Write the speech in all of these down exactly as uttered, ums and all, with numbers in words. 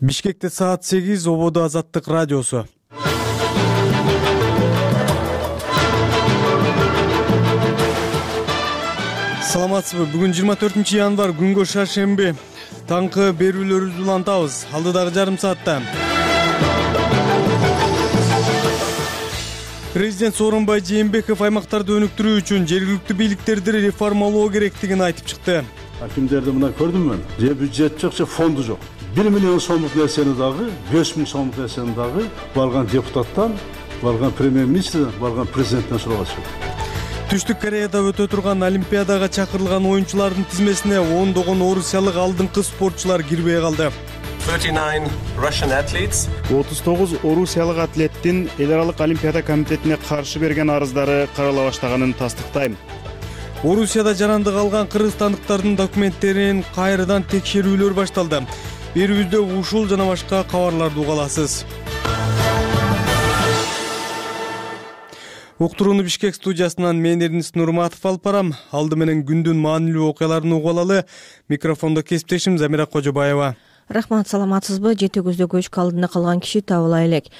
Бишкекте саат сегиз, ободо Азаттык радиосу. Саламатсызбы? Бүгүн жыйырма төртүнчү январь, күнгө шаршемби. Таңкы берүүлөрүбүздү улантабыз. Алдыдагы жарым саатта. Президент Сооронбай Жээнбеков аймактарды өнүктүрүү үчүн жергиликтүү бийликтерди реформалоо керектигин айтып чыкты. Акимдерди мына көрдүм мен. Же бюджет жок, же фонду жок. бир миллион сомдук нерсени дагы, беш миң сомдук нерсени дагы барган депутаттан, барган премьер-министрден, барган президенттен сурагачы. Түштүк Кореяда өтө турган Олимпиадага чакырылган оюнчулардын тизмесине ондогон орусиялык алдыңкы спортчулар кирбей калды. отуз тогуз орусиялык атлеттин эл аралык Олимпиада комитетине каршы берген арыздары карала баштаганын тастыктайм. Орусияда жарандык алган кыргызстандыктардын документтерин кайрадан текшерүүлөр башталды. Берүүбүздө ушул жана башка кабарларды уга аласыз. Уктурууну Бишкек студиясынан мен Эрнис Нурматов алып барам. Алды менен күндүн маанилүү окуяларын угуп алалы. Микрофондо кесиптешим Замира Кожобаева. Рахмат, саламатсызбы? Жети көздө көчкү алдында калган киши табыла элек.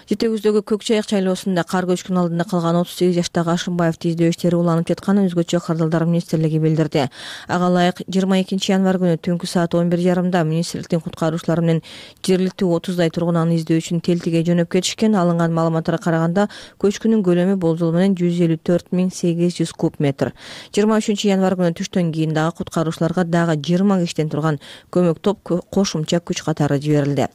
Жети көздөгү Көк Чайык шайлоосунда кар көчкүнүн алдында калган отуз сегиз жаштагы Ашымбаевди издөө иштери уланып жатканын өзгөчө кардалдар министрлиги билдирди. Ага ылайык жыйырма экинчи январь күнү түнкү саат он бир жарымда министрликтин куткаруучулары менен жергиликтүү отуздай тургун аны издөө үчүн Телтиге жөнөп кетишкен. Алынган маалыматтарга караганда көчкүнүн көлөмү болжол менен жүз элүү төрт миң сегиз жүз куб метр. жыйырма үчүнчү январь күнү түштөн кийин дагы куткаруучуларга дагы жыйырма киштен турган көмөк топ кошумча күч катары жиберилди.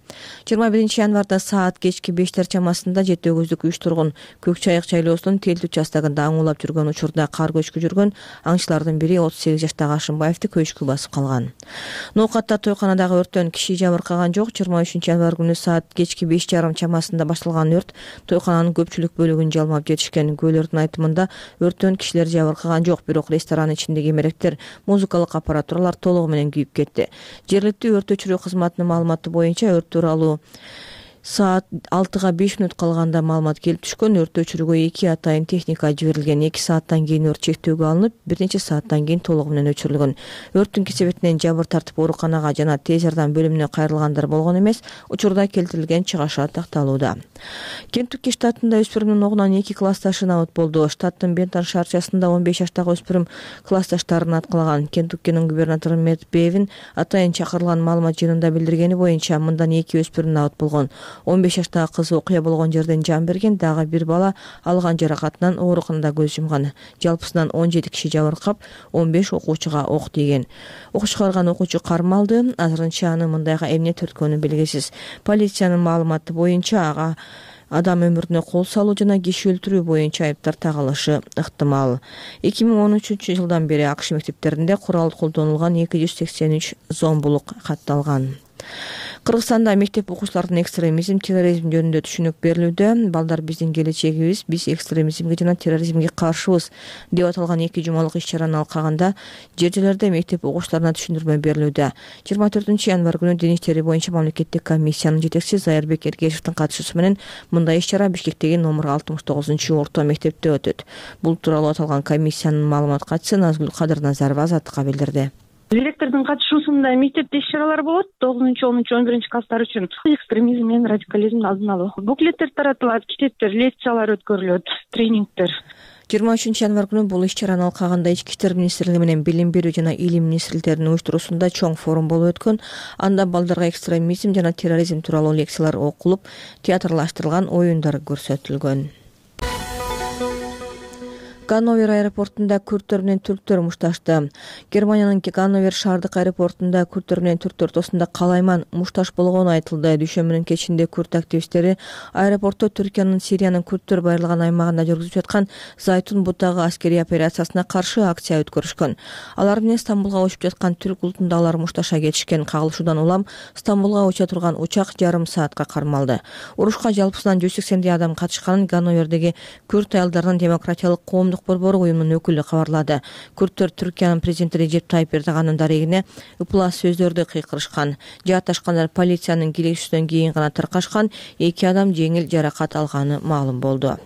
жыйырма биринчи январда саат кечки бештер чамасында жети көздүк үч тургун Көк Чайык шайлоосунун Телти участогунда аңуулап жүргөн учурда кар көчкү жүргөн. Аңчылардын бири отуз сегиз жаштагы Ашымбаевди көчкү басып калган. Ноокатта тойканадагы өрттөн киши жабыркаган жок. жыйырма үчүнчү январь күнү саат кечки беш жарым чамасында башталган өрт тойкананын көпчүлүк бөлүгүн жалмап жетишкен. Күбөлөрдүн айтымында өрттөн кишилер жабыркаган жок, бирок ресторан ичиндеги эмеректер, музыкалык аппаратуралар толугу менен күйүп кетти. Жергиликтүү өрт өчүрүү кызматынын маалыматы боюнча өрт тууралуу саат алтыга беш мүнөт калганда маалымат келип түшкөн. Өрт өчүрүүгө эки атайын техника жиберилген. эки сааттан кийин өрт чектөөгө алынып, бир нече сааттан кийин толугу менен өчүрүлгөн. Өрттүн кесебетинен жабыр тартып ооруканага жана тез жардам бөлүмүнө кайрылгандар болгон эмес. Учурда келтирилген чыгаша такталууда. Кентукки штатында өспүрүмдүн огунан эки классташы набыт болду. Штаттын Бентон шаарчасында он беш жаштагы өспүрүм классташтарын аткалаган. Кентуккинин губернатору Мэтт Бевин атайын чакырылган маалымат жыйынында билдиргени боюнча мындан эки өспүрүм набыт болгон. он беш жаштагы кыз окуя болгон жерден жан берген, дагы бир бала алган жаракатынан ооруканада көз жумган. Жалпысынан он жети киши жабыркап, он беш окуучуга ок тийген. Окуу чыгарган окуучу кармалды. Азырынча анын мындайга эмне төрткөнү белгисиз. Полициянын маалыматы боюнча ага адам өмүрүнө кол салуу жана киши өлтүрүү боюнча айыптар тагылышы ыктымал. эки миң он үчүнчү жылдан бери АКШ мектептеринде курал колдонулган эки жүз сексен үч зомбулук катталган. Кыргызстанда мектеп окуучулардын экстремизм, терроризм жөнүндө түшүнүк берилүүдө. Балдар биздин келечегибиз, биз экстремизмге жана терроризмге каршыбыз деп аталган эки жумалык иш-чараны алкаганда жер жерлерде мектеп окуучуларына түшүндүрмө берилүүдө. жыйырма төртүнчү январь күнү Дин иштери боюнча мамлекеттик комиссиянын жетекчиси Зайырбек Эргешевдин катышуусу менен мындай иш-чара Бишкектеги номер алтымыш тогузунчу орто мектепте өтөт. Бул тууралуу аталган комиссиянын маалымат катчысы Назгүл Кадыр Назарова Азаттыкка билдирди. Директордун катышуусунда мектепте иш-чаралар болот. тогузунчу, онунчу, он биринчи класстар үчүн экстремизм менен радикализмди алдын алуу. Буклеттер таратылат, китептер, лекциялар өткөрүлөт, тренингдер. жыйырма үчүнчү январь күнү бул иш-чараны алкаганда Ички иштер министрлиги менен Билим берүү жана Илим министрликтеринин уюштуруусунда чоң форум болуп өткөн. Анда балдарга экстремизм жана терроризм тууралуу лекциялар окулуп, театрлаштырылган оюндар көрсөтүлгөн. Ганновер аэропортунда күрттөр менен түрктөр мушташты. Германиянын Ганновер шаардык аэропортунда күрттөр менен түрктөр ортосунда калайман мушташ болгону айтылды. Дүйшөмбүнүн кечинде күрт активисттери аэропортто Түркиянын Сириянын күрттөр байырылган аймагында жүргүзүп жаткан Зайтун бутагы аскерий операциясына каршы акция өткөрүшкөн. Алар менен Стамбулга учуп жаткан түрк улутундагылар мушташа кетишкен. Кагылышуудан улам Стамбулга уча турган учак жарым саатка кармалды. Урушка жалпысынан жүз сексендей адам катышканын Ганновердеги күрт аялдарынын демократиялык коомдук борбору уюмунун өкүлү кабарлады. Күрттөр Түркиянын президенти Режеп Тайып Эрдоганын дарегине ыплас сөздөрдү кыйкырышкан. Жаатташкандар полициянын киришүүсүнөн кийин гана таркашкан. Эки адам жеңил жаракат алганы маалым болду.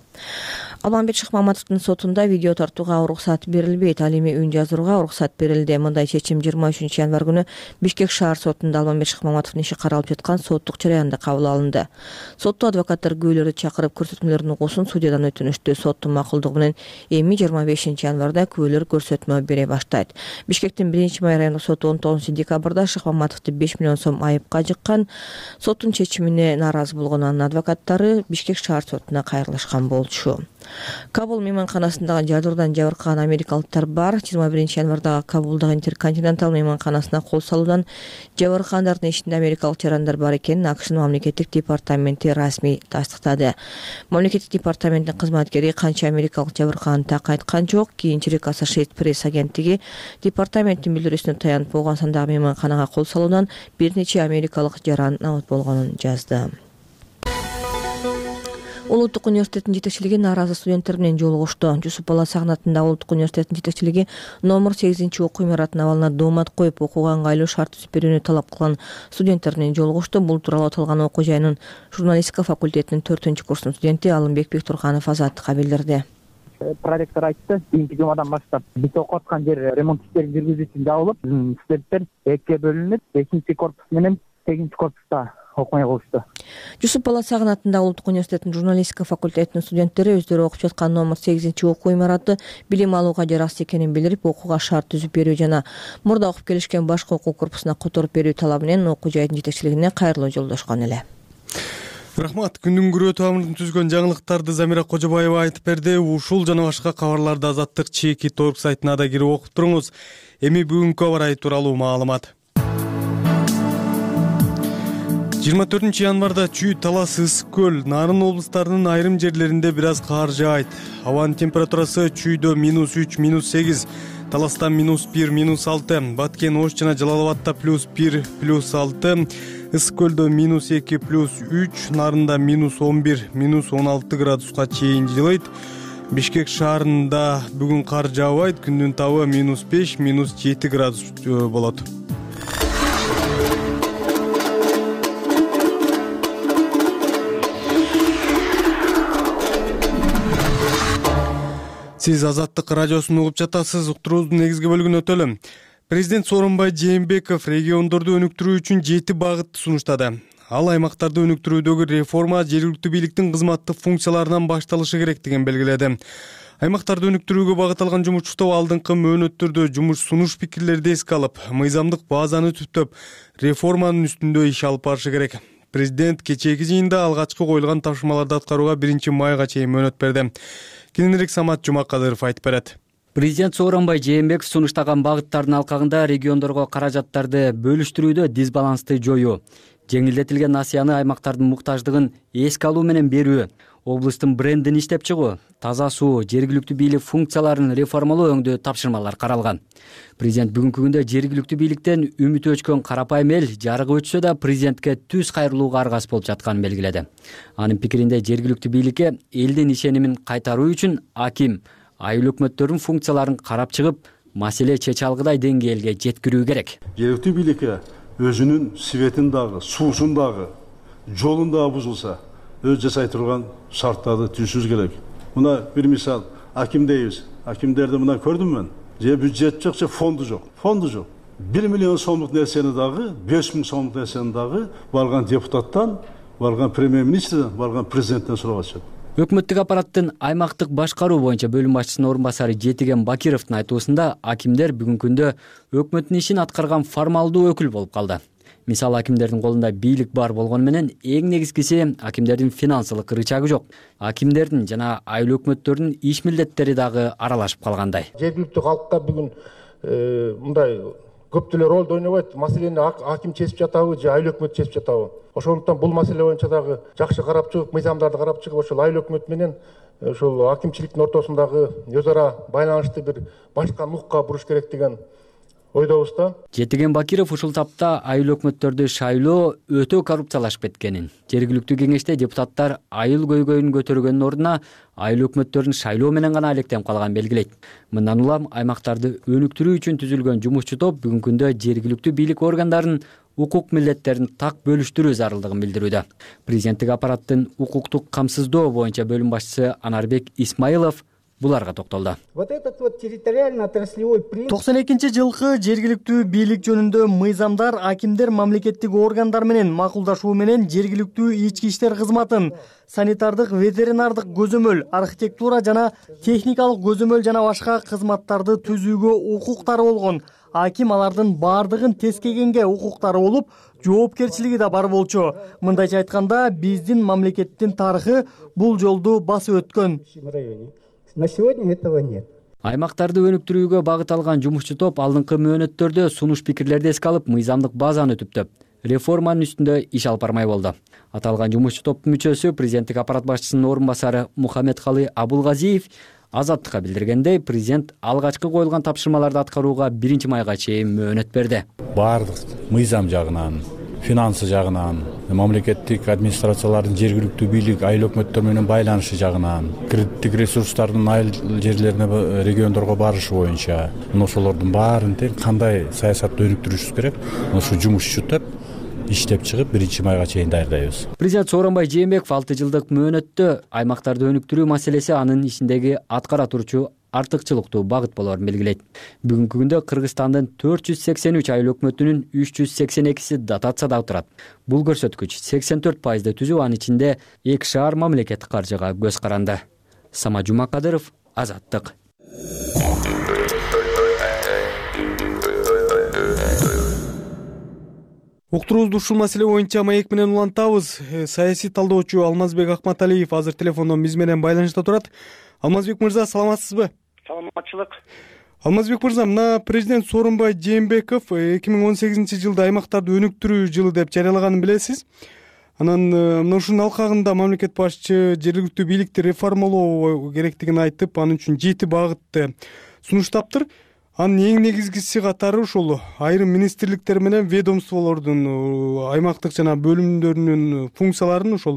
Алмамбет Шыкмаматовдун сотунда видео тартууга уруксат берилбейт, ал эми үн жазууга уруксат берилди. Мындай чечим жыйырма үчүнчү январь күнү Бишкек шаар сотунда Алмамбет Шыкмаматовдун иши каралып жаткан соттук жараянда кабыл алынды. Сотто адвокаттар күбөлөрдү чакырып көрсөтмөлөрдүн угуусун судьядан өтүнүштү. Соттун макулдугу менен эми жыйырма бешинчи январда күбөлөр көрсөтмө бере баштайт. Бишкектин биринчи май райондук соту он тогузунчу декабрда Шыкмаматовду беш миллион сом айыпка жыккан. Соттун чечимине нааразы болгон анын адвокаттары Бишкек шаар сотуна кайрылышкан болчу. Кабул мейманканасындагы жардыруудан жабыркаган америкалыктар бар. жыйырма биринчи январдагы Кабулдагы Интерконтинентал мейманканасына кол салуудан жабыркагандардын ичинде америкалык жарандар бар экенин АКШнын мамлекеттик департаменти расмий тастыктады. Мамлекеттик департаменттин кызматкери канча америкалык жабыркаганын так айткан жок. Кийинчерээк Associated Press агенттиги департаменттин билдирүүсүнө таянып болгон сандагы мейманканага кол салуудан бир нече америкалык жаран абат болгонун жазды. Улуттук университеттин жетекчилиги нааразы студенттер менен жолугушту. Жусуп Бала Сагынатында Улуттук университеттин жетекчилиги номер сегизинчи окуу имаратынын абалына доомат коюп, окууга ыңгайлуу шарт түзүп берүүнү талап кылган студенттер менен жолугушту. Бул тууралуу аталган окуу жайынын журналистика факультетинин төртүнчү курстун студенти Алымбек Бектурканов Азаттыкка билдирди. Проректор айтты, кийинки жумадан баштап биз окуп аткан жер ремонт иштерин жүргүзүү үчүн жабылып, студенттер экиге бөлүнүп, бешинчи корпус менен сегизинчи корпуста окумай калышты. Жусуп Бала Сагынатында Улуттук университеттин журналистика факультетинин студенттери өздөрү окуп жаткан номер сегизинчи окуу имараты билим алууга жараксыз экенин билдирип, окууга шарт түзүп берүү жана мурда окуп келишкен башка окуу корпусуна которуп берүү талабы менен окуу жайдын жетекчилигине кайрылуу жолдошкон эле. Рахмат. Күндүн күрөө тамырын түзгөн жаңылыктарды Замира Кожобаева айтып берди. Ушул жана башка кабарларды Азаттык чеки торг сайтына да кирип окуп туруңуз. Эми бүгүнкү аба ырайы тууралуу маалымат. жыйырма төртүнчү январда Чүй, Талас, Ысык көл, Нарын облустарынын айрым жерлеринде бир аз кар жаайт. Абанын температурасы Чүйдө минус үч, минус сегиз, Таласта минус бир, минус алты, Баткен, Ош жана Жалал-Абадта плюс бир, плюс алты, Ысык көлдө минус эки, плюс үч, Нарында минус он бир, минус он алты градуска чейин жылыйт. Бишкек шаарында бүгүн кар жаабайт, күндүн табы минус беш, минус жети градус болот. Сиз Азаттык радиосун угуп жатасыз. Уктуруубуздун негизги бөлүгүнө өтөлү. Президент Сооронбай Жээнбеков региондорду өнүктүрүү үчүн жети багытты сунуштады. Ал аймактарды өнүктүрүүдөгү реформа жергиликтүү бийликтин кызматтык функцияларынан башталышы керектигин белгиледи. Аймактарды өнүктүрүүгө багытталган жумуш топ алдыңкы мөөнөттөрдө жумуш сунуш пикирлерди эске алып, мыйзамдык базаны түптөп, реформанын үстүндө иш алып барышы керек. Президент кечээки жыйында алгачкы коюлган тапшырмаларды аткарууга биринчи майга чейин мөөнөт берди. Кийинирээк Самат Жумакадыров айтып берет. Президент Сооронбай Жээнбеков сунуштаган багыттардын алкагында региондорго каражаттарды бөлүштүрүүдө дисбалансты жоюу, жеңилдетилген насыяны аймактардын муктаждыгын эске алуу менен берүү, облустун брендин иштеп чыгуу, таза суу, жергиликтүү бийлик функцияларын реформалоо өңдүү тапшырмалар каралган. Президент бүгүнкү күндө жергиликтүү бийликтен үмүтү өчкөн карапайым эл жарыгы өтсө да президентке түз кайрылууга аргас болуп жатканын белгиледи. Анын пикиринде жергиликтүү бийликке элдин ишенимин кайтаруу үчүн аким, айыл өкмөттөрдүн функцияларын карап чыгып, маселе чече алгыдай деңгээлге жеткирүү керек. Жергиликтүү бийликке өзүнүн светин дагы, суусун дагы, жолун дагы бузулса, өз жасай турган шарттарды түзүшүбүз керек. Мына бир мисал, аким дейбиз. Акимдерди мына көрдүм мен. Же бюджет жок, же фонду жок. Фонду жок. бир миллион сомдук нерсени дагы, беш миң сомдук нерсени дагы барган депутаттан, барган премьер-министрден, барган президенттен сурап атышат. Өкмөттүк аппараттын аймактык башкаруу боюнча бөлүм башчысынын орун басары Жетиген Бакировдун айтуусунда акимдер бүгүнкү күндө өкмөттүн ишин аткарган формалдуу өкүл болуп калды. Мисалы, акимдердин колунда бийлик бар болгону менен эң негизгиси акимдердин финансылык рычагы жок. Акимдердин жана айыл өкмөттөрдүн иш милдеттери дагы аралашып калгандай. Жергиликтүү калкка бүгүн мындай көптөлөр ролду ойнобойт. Маселени аким чечип жатабы же айыл өкмөт чечип жатабы? Ошондуктан бул маселе боюнча дагы жакшы карап чыгып, мыйзамдарды карап чыгып, ошол айыл өкмөт менен ошол акимчиликтин ортосундагы өз ара байланышты бир башка нукка буруш керек деген ойдобуз да. Жетиген Бакиров ушул тапта айыл өкмөттөрдү шайлоо өтө коррупциялашып кеткенин, жергиликтүү кеңеште депутаттар айыл көйгөйүн көтөргөндүн ордуна айыл өкмөттөрүн шайлоо менен гана алектенип калганын белгилейт. Мындан улам аймактарды өнүктүрүү үчүн түзүлгөн жумушчу топ бүгүнкү күндө жергиликтүү бийлик органдарын укук милдеттерин так бөлүштүрүү зарылдыгын билдирүүдө. Президенттик аппараттын укуктук камсыздоо боюнча бөлүм башчысы Анарбек Исмаилов буларга токтолду. токсон экинчи жылкы жергиликтүү бийлик жөнүндө мыйзамдар акимдер мамлекеттик органдар менен макулдашуу менен жергиликтүү ички иштер кызматын, санитардык, ветеринардык көзөмөл, архитектура жана техникалык көзөмөл жана башка кызматтарды түзүүгө укуктары болгон. Аким алардын баардыгын тескегенге укуктары болуп, жоопкерчилиги да бар болчу. Мындайча айтканда, биздин мамлекеттин тарыхы бул жолду басып өткөн. На сегодня этого нет. Аймактарды өнүктүрүүгө багыт алган жумушчу топ алдыңкы мөөнөттөрдө сунуш пикирлерди эске алып, мыйзамдык базаны түптөп, реформанын үстүндө иш алып бармай болду. Аталган жумушчу топтун мүчөсү, президенттик аппарат башчысынын орун басары Мухаммедкалы Абулгазиев Азаттыкка билдиргендей, президент алгачкы коюлган тапшырмаларды аткарууга биринчи майга чейин мөөнөт берди. Баардык мыйзам жагынан, финансы жагынан, мамлекеттик администрациялардын жергиликтүү бийлик, айыл өкмөттөр менен байланышы жагынан, кредиттик ресурстардын айыл жерлерине, региондорго барышы боюнча, ошолордун баарын тең кандай саясатты өнүктүрүшүбүз керек, ошо жумушчу топ иштеп чыгып биринчи майга чейин даярдайбыз. Президент Сооронбай Жээнбеков алты жылдык мөөнөттө аймактарды өнүктүрүү маселеси анын ишиндеги аткара турчу артыкчылыктуу багыт болорун белгилейт. Бүгүнкү күндө Кыргызстандын төрт жүз сексен үч айыл өкмөтүнүн үч жүз сексен экиси дотацияда турат. Бул көрсөткүч сексен төрт пайызды түзүп, анын ичинде эки шаар мамлекеттик каржыга көз каранды. Сама Жумакадыров, Азаттык. Уктуруубузду ушул маселе боюнча маек менен улантабыз. Саясий талдоочу Алмазбек Акматалиев азыр телефондон биз менен байланышта турат. Алмазбек мырза, саламатсызбы? Саламатчылык. Алмазбек мырза, мына президент Сооронбай Жээнбеков эки миң он сегизинчи жылда аймактарды өнүктүрүү жылы деп жарыялаганын билесиз. Анан мына ушунун алкагында мамлекет башчы жергиликтүү бийликти реформалоо керектигин айтып, анын үчүн жети багытты сунуштаптыр. Анын эң негизгиси катары ушул айрым министрликтер менен ведомстволордун, аймактык жана бөлүмдөрүнүн функцияларын ушул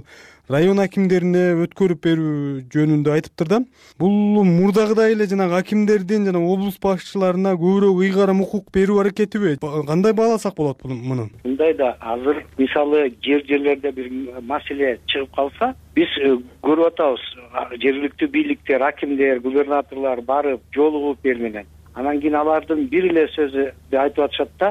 район акимдерине өткөрүп берүү жөнүндө айтыптыр да. Бул мурдагыдай эле жанагы акимдердин жана облус башчыларына көбүрөөк ыйгарым укук берүү аракетиби? Кандай бааласак болот муну? Мындай да, азыр мисалы жер жерлерде бир маселе чыгып калса, биз көрүп атабыз, жергиликтүү бийликтер, акимдер, губернаторлор барып жолугуп эл менен. Анан кийин алардын бир эле сөзү айтып атышат да,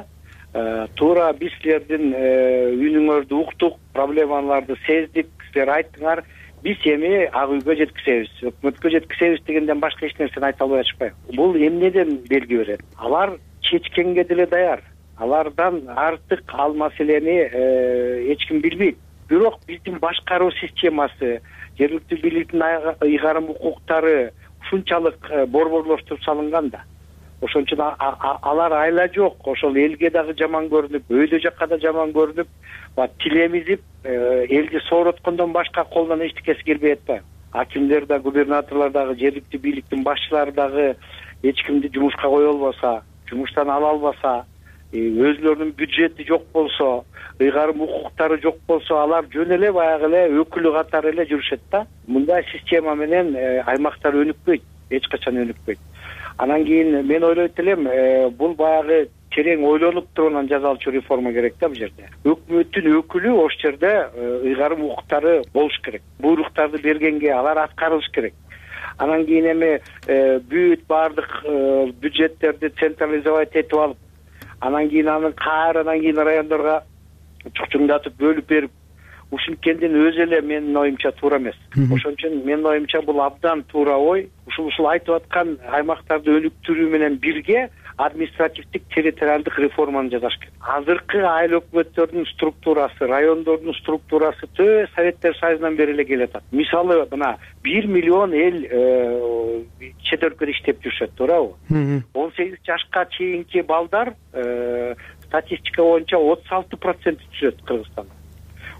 туура биз силердин үнүңөрдү уктук, проблемаларды сездик, силер айттыңар, биз эми ак үйгө жеткизебиз, өкмөткө жеткизебиз дегенден башка эч нерсени айта албай атышпайбы? Бул эмнеден белги берет? Алар чечкенге деле даяр. Алардан артык ал маселени эч ким билбейт. Бирок биздин башкаруу системасы, жергиликтүү бийликтин ыйгарым укуктары ушунчалык борборлоштуруп салынган да. Ошон үчүн алар айла жок, ошол элге дагы жаман көрүнүп, өйдө жакка да жаман көрүнүп, тилемизип, элди соороткондон башка колдон эчтекеси келбей атпайбы? Акимдер да, губернаторлор дагы, жергиликтүү бийликтин башчылары дагы эч кимди жумушка кое албаса, жумуштан ала албаса, өзүлөрүнүн бюджети жок болсо, ыйгарым укуктары жок болсо, алар жөн эле баягы эле өкүлү катары эле жүрүшөт да. Мындай система менен аймактар өнүкпөйт, эч качан өнүкпөйт. Анан кийин мен ойлойт элем, бул баягы терең ойлонуп туруп анан жасалчу реформа керек да бул жерде. Өкмөттүн өкүлү ошол жерде ыйгарым укуктары болуш керек. Буйруктарды бергенге алар аткарылыш керек. Анан кийин эми бүт баардык бюджеттерди централизовать этип алып, анан кийин аны кайрадан кийин райондорго чукчуңдатып бөлүп берип, ушинткендин өзү эле менин оюмча туура эмес. Ошон үчүн менин оюмча бул абдан туура ой. Ушул ушул айтып аткан аймактарды өнүктүрүү менен бирге административдик территориалдык реформаны жасаш керек. Азыркы айыл өкмөттөрдүн структурасы, райондордун структурасы тө Советтер Союзунан бери эле келе атат. Мисалы, мына бир миллион эл чет өлкөдө иштеп жүрүшөт, туурабы? он сегиз жашка чейинки балдар статистика боюнча отуз алты процент түшөт Кыргызстанда.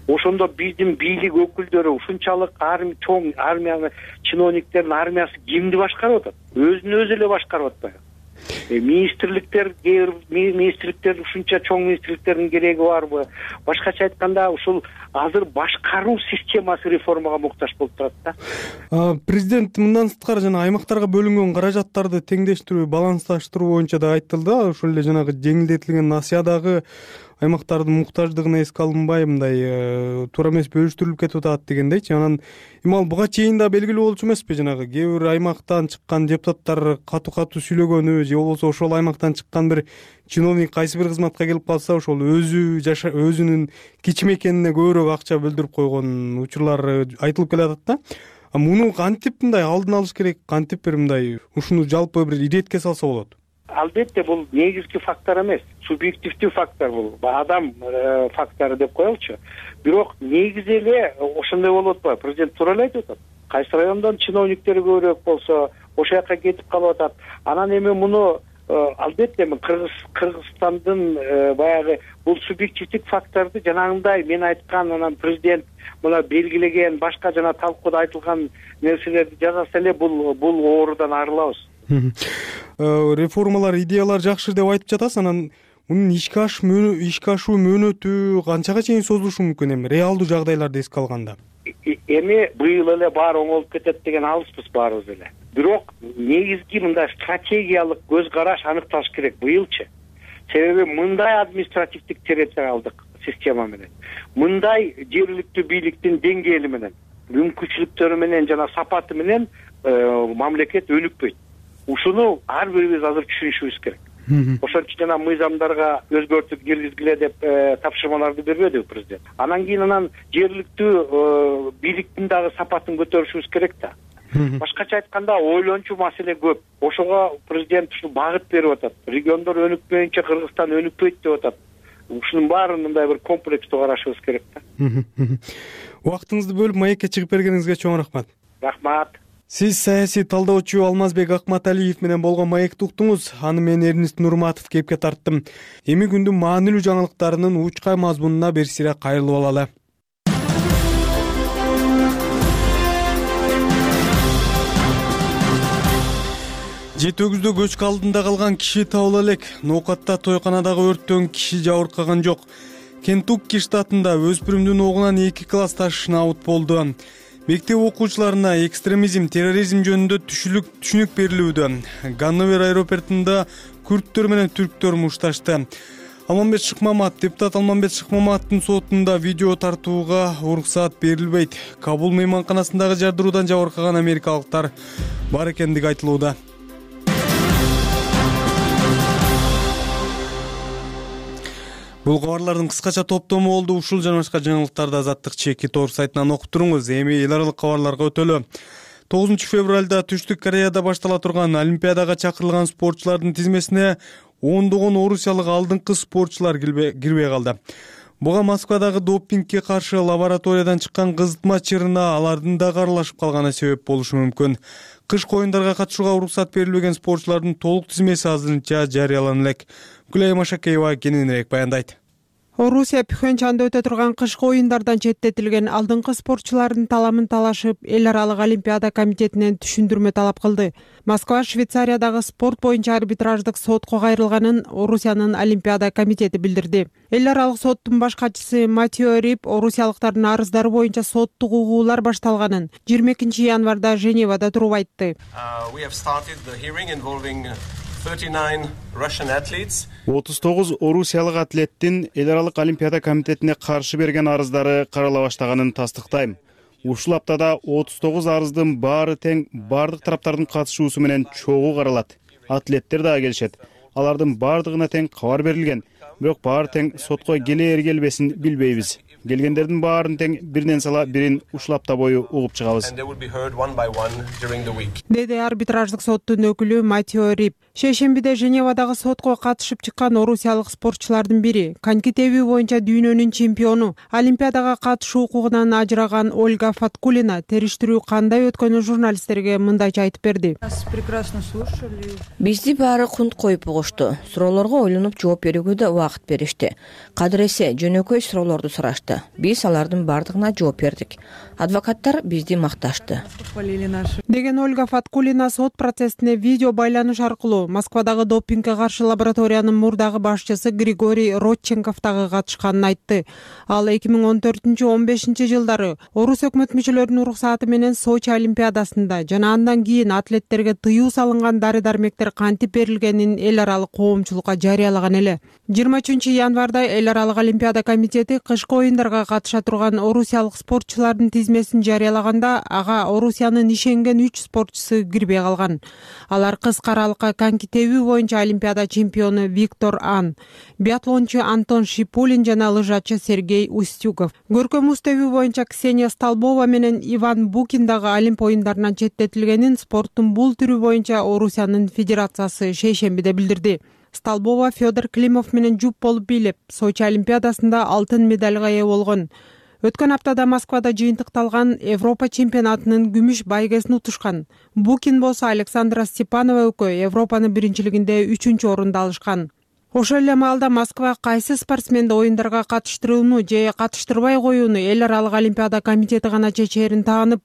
Ошондо биздин бийлик өкүлдөрү ушунчалык чоң армияны, чиновниктердин армиясы кимди башкарып атат? Өзүн өзү эле башкарып атпайбы? Министрликтер, министрликтер ушунча чоң министрликтердин кереги барбы? Башкача айтканда, ушул азыр башкаруу системасы реформага муктаж болуп турат да. Президент мындан сырткары жана аймактарга бөлүнгөн каражаттарды теңдештирүү, балансташтыруу боюнча да айтылды. Ошол эле жанагы жеңилдетилген насыя дагы аймактардын муктаждыгына эске алынбай мындай туура эмес бөлүштүрүлүп кетип атат дегендейчи. Анан эми ал буга чейин да белгилүү болчу эмеспи, жанагы кээ бир аймактан чыккан депутаттар катуу катуу сүйлөгөнү же болбосо ошол аймактан чыккан бир чиновник кайсы бир кызматка келип калса ошол өзү жаша өзүнүн кичимекенине көбүрөөк акча бөлдүрүп койгон учурлар айтылып келатат да. А муну кантип мындай алдын алыш керек, кантип бир мындай ушуну жалпы бир иретке салса болот? Албетте бул негизги фактор эмес, субъективдүү фактор, бул адам фактору деп коелучу. Бирок негизи эле ошондой болуп атпайбы? Президент туура эле айтып атат. Кайсы райондон чиновниктер көбүрөөк болсо, ошол жака кетип калып атат. Анан эми муну албетте эми Кыргыз Кыргызстандын баягы бул субъективдик факторду жанагындай мен айткан, анан президент мына белгилеген башка жана талкууда айтылган нерселерди жасаса эле бул бул оорудан арылабыз. Реформалар, идеялар жакшы деп айтып жатасыз. Анан мунун ишке ашуу ишке ашуу мөөнөтү канчага чейин созулушу мүмкүн эми реалдуу жагдайларды эске алганда? Эми быйыл эле баары оңолуп кетет деген алыспыз баарыбыз эле. Бирок негизги мындай стратегиялык көз караш аныкталыш керек быйылчы. Себеби мындай административдик территориалдык система менен, мындай жергиликтүү бийликтин деңгээли менен, мүмкүнчүлүктөрү менен жана сапаты менен мамлекет өнүкпөйт. Ушуну ар бирибиз азыр түшүнүшүбүз керек. Ошон үчүн жана мыйзамдарга өзгөртүп киргизгиле деп тапшырмаларды бербедиби президент? Анан кийин анан жергиликтүү бийликтин дагы сапатын көтөрүшүбүз керек да. Башкача айтканда ойлончу маселе көп. Ошого президент ушул багыт берип атат. Региондор өнүкпөйүнчө Кыргызстан өнүкпөйт деп атат. Ушунун баарын мындай бир комплекстүү карашыбыз керек да. Убактыңызды бөлүп маекке чыгып бергениңизге чоң рахмат. Рахмат. Сиз саясий талдоочу Алмазбек Акматалиев менен болгон маекти уктуңуз. Аны мен Эрнист Нурматов кепке тарттым. Эми күндүн маанилүү жаңылыктарынын учкай мазмунуна бир сире кайрылып алалы. Жети өгүздө көчкү алдында калган киши табыла элек. Ноокатта тойканадагы өрттөн киши жабыркаган жок. Кентукки штатында өспүрүмдүн огунан эки классташ наут болду. Мектеп окуучуларына экстремизм, терроризм жөнүндө түшүнүк түшүнүк берилүүдө. Ганновер аэропортунда күрттөр менен түрктөр мушташты. Алмамбет Шыкмамат, депутат Алмамбет Шыкмаматтын сотунда видео тартууга уруксаат берилбейт. Кабул мейманканасындагы жардыруудан жабыркаган америкалыктар бар экендиги айтылууда. Бул кабарлардын кыскача топтому болду. Ушул жана башка жаңылыктарды Азаттык чеки тор сайтынан окуп туруңуз. Эми эл аралык кабарларга өтөлү. тогузунчу февралда Түштүк Кореяда баштала турган Олимпиадага чакырылган спортчулардын тизмесине ондогон орусиялык алдыңкы спортчулар кирбей калды. Буга Москвадагы допингге каршы лабораториядан чыккан кызытма чырына алардын да аралашып калганы себеп болушу мүмкүн. Кышкы оюндарга катышууга уруксат берилбеген спортчулардын толук тизмеси азырынча жарыялана элек. Гүлай Машакеева кененирээк баяндайт. Орусия Пхенчанда өтө турган кышкы оюндардан четтетилген алдыңкы спортчулардын таламын талашып, эл аралык Олимпиада комитетинен түшүндүрмө талап кылды. Москва Швейцариядагы спорт боюнча арбитраждык сотко кайрылганын Орусиянын Олимпиада комитети билдирди. Эл аралык соттун баш катчысы Матио Рип орусиялыктардын арыздары боюнча соттук угуулар башталганын жыйырма экинчи январда Женевада туруп айтты. отуз тогуз орусиялык атлеттин эл аралык Олимпиада комитетине каршы берген арыздары карала баштаганын тастыктайм. Ушул аптада отуз тогуз арыздын баары тең бардык тараптардын катышуусу менен чогуу каралат. Атлеттер дагы келишет. Алардын бардыгына тең кабар берилген, бирок баары тең сотко келээр келбесин билбейбиз. Келгендердин баарын тең биринен сала бирин ушул апта бою угуп чыгабыз. Деди арбитраждык соттун өкүлү Матио Рип. Шейшембиде Женевадагы сотко катышып чыккан орусиялык спортчулардын бири, коньки тебүү боюнча дүйнөнүн чемпиону, Олимпиадага катышуу укугунан ажыраган Ольга Фаткулина териштирүү кандай өткөнү журналисттерге мындайча айтып берди. Бизди баары кунт коюп угушту. Суроолорго ойлонуп жооп берүүгө да убакыт беришти. Кадыресе жөнөкөй суроолорду сурашты. Биз алардын бардыгына жооп бердик. Адвокаттар бизди макташты. Деген Ольга Фаткулина сот процессине видео байланыш аркылуу Москвадагы допингге каршы лабораториянын мурдагы башчысы Григорий Родченков дагы катышканын айтты. Ал эки миң он төртүнчү он бешинчи жылдары орус өкмөт мүчөлөрүнүн уруксааты менен Сочи олимпиадасында жана андан кийин атлеттерге тыюу салынган дары-дармектер кантип берилгенин эл аралык коомчулукка жарыялаган эле. жыйырма үчүнчү январда эл аралык олимпиада комитети кышкы оюндарга катыша турган орусиялык спортчулардын тизмесин жарыялаганда ага Орусиянын ишенген үч спортчусу кирбей калган. Алар кыска аралыкка коньки тебүү боюнча олимпиада чемпиону Виктор Ан, биатлончу Антон Шипулин жана лыжачы Сергей Устюгов. Көркөм муз тебүү боюнча Ксения Столбова менен Иван Букин дагы Олимп оюндарынан четтетилгенин спорттун бул түрү боюнча Орусиянын федерациясы шейшембиде билдирди. Столбова Федор Климов менен жуп болуп бийлеп, Сочи олимпиадасында алтын медалга ээ болгон. Өткөн аптада Москвада жыйынтыкталган Европа чемпионатынын күмүш байгесин утушкан. Букин болсо Александра Степанова экөө Европанын биринчилигинде үчүнчү орунду алышкан. Ошол эле маалда Москва кайсы спортсменди оюндарга катыштырууну же катыштырбай коюуну эл аралык олимпиада комитети гана чечээрин таанып,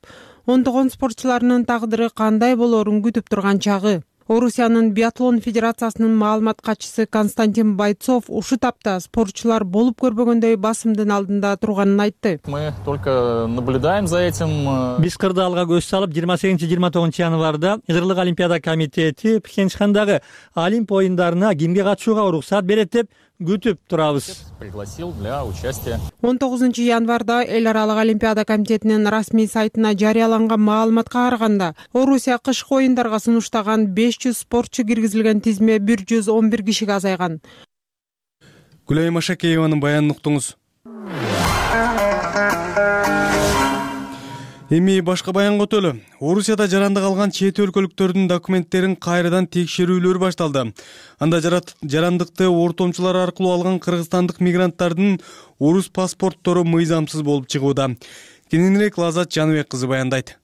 ондогон спортчуларынын тагдыры кандай болоорун күтүп турган чагы. Орусиянын биатлон федерациясынын маалымат катчысы Константин Бойцов ушул тапта спортчулар болуп көрбөгөндөй басымдын алдында турганын айтты. Мы только наблюдаем за этим. Биз кырдаалга көз салып, жыйырма сегизинчи жыйырма тогузунчу январда эл аралык олимпиада комитети Пхенчхандагы Олимп оюндарына кимге катышууга уруксат берет деп күтүп турабыз. Пригласил для участия. он тогузунчу январда эл аралык олимпиада комитетинин расмий сайтына жарыяланган маалыматка караганда, Орусия кышкы оюндарга сунуштаган беш жүз спортчу киргизилген тизме бир жүз он бир кишиге азайган. Гүлайым Ашакееванын баянын уктуңуз. Эми башка баянга өтөлү. Орусияда жарандык алган чет өлкөлүктөрдүн документтерин кайрадан текшерүүлөр башталды. Анда жарандыкты ортомчулар аркылуу алган кыргызстандык мигранттардын орус паспорттору мыйзамсыз болуп чыгууда. Кененирээк Лазат Жаныбек кызы баяндайт.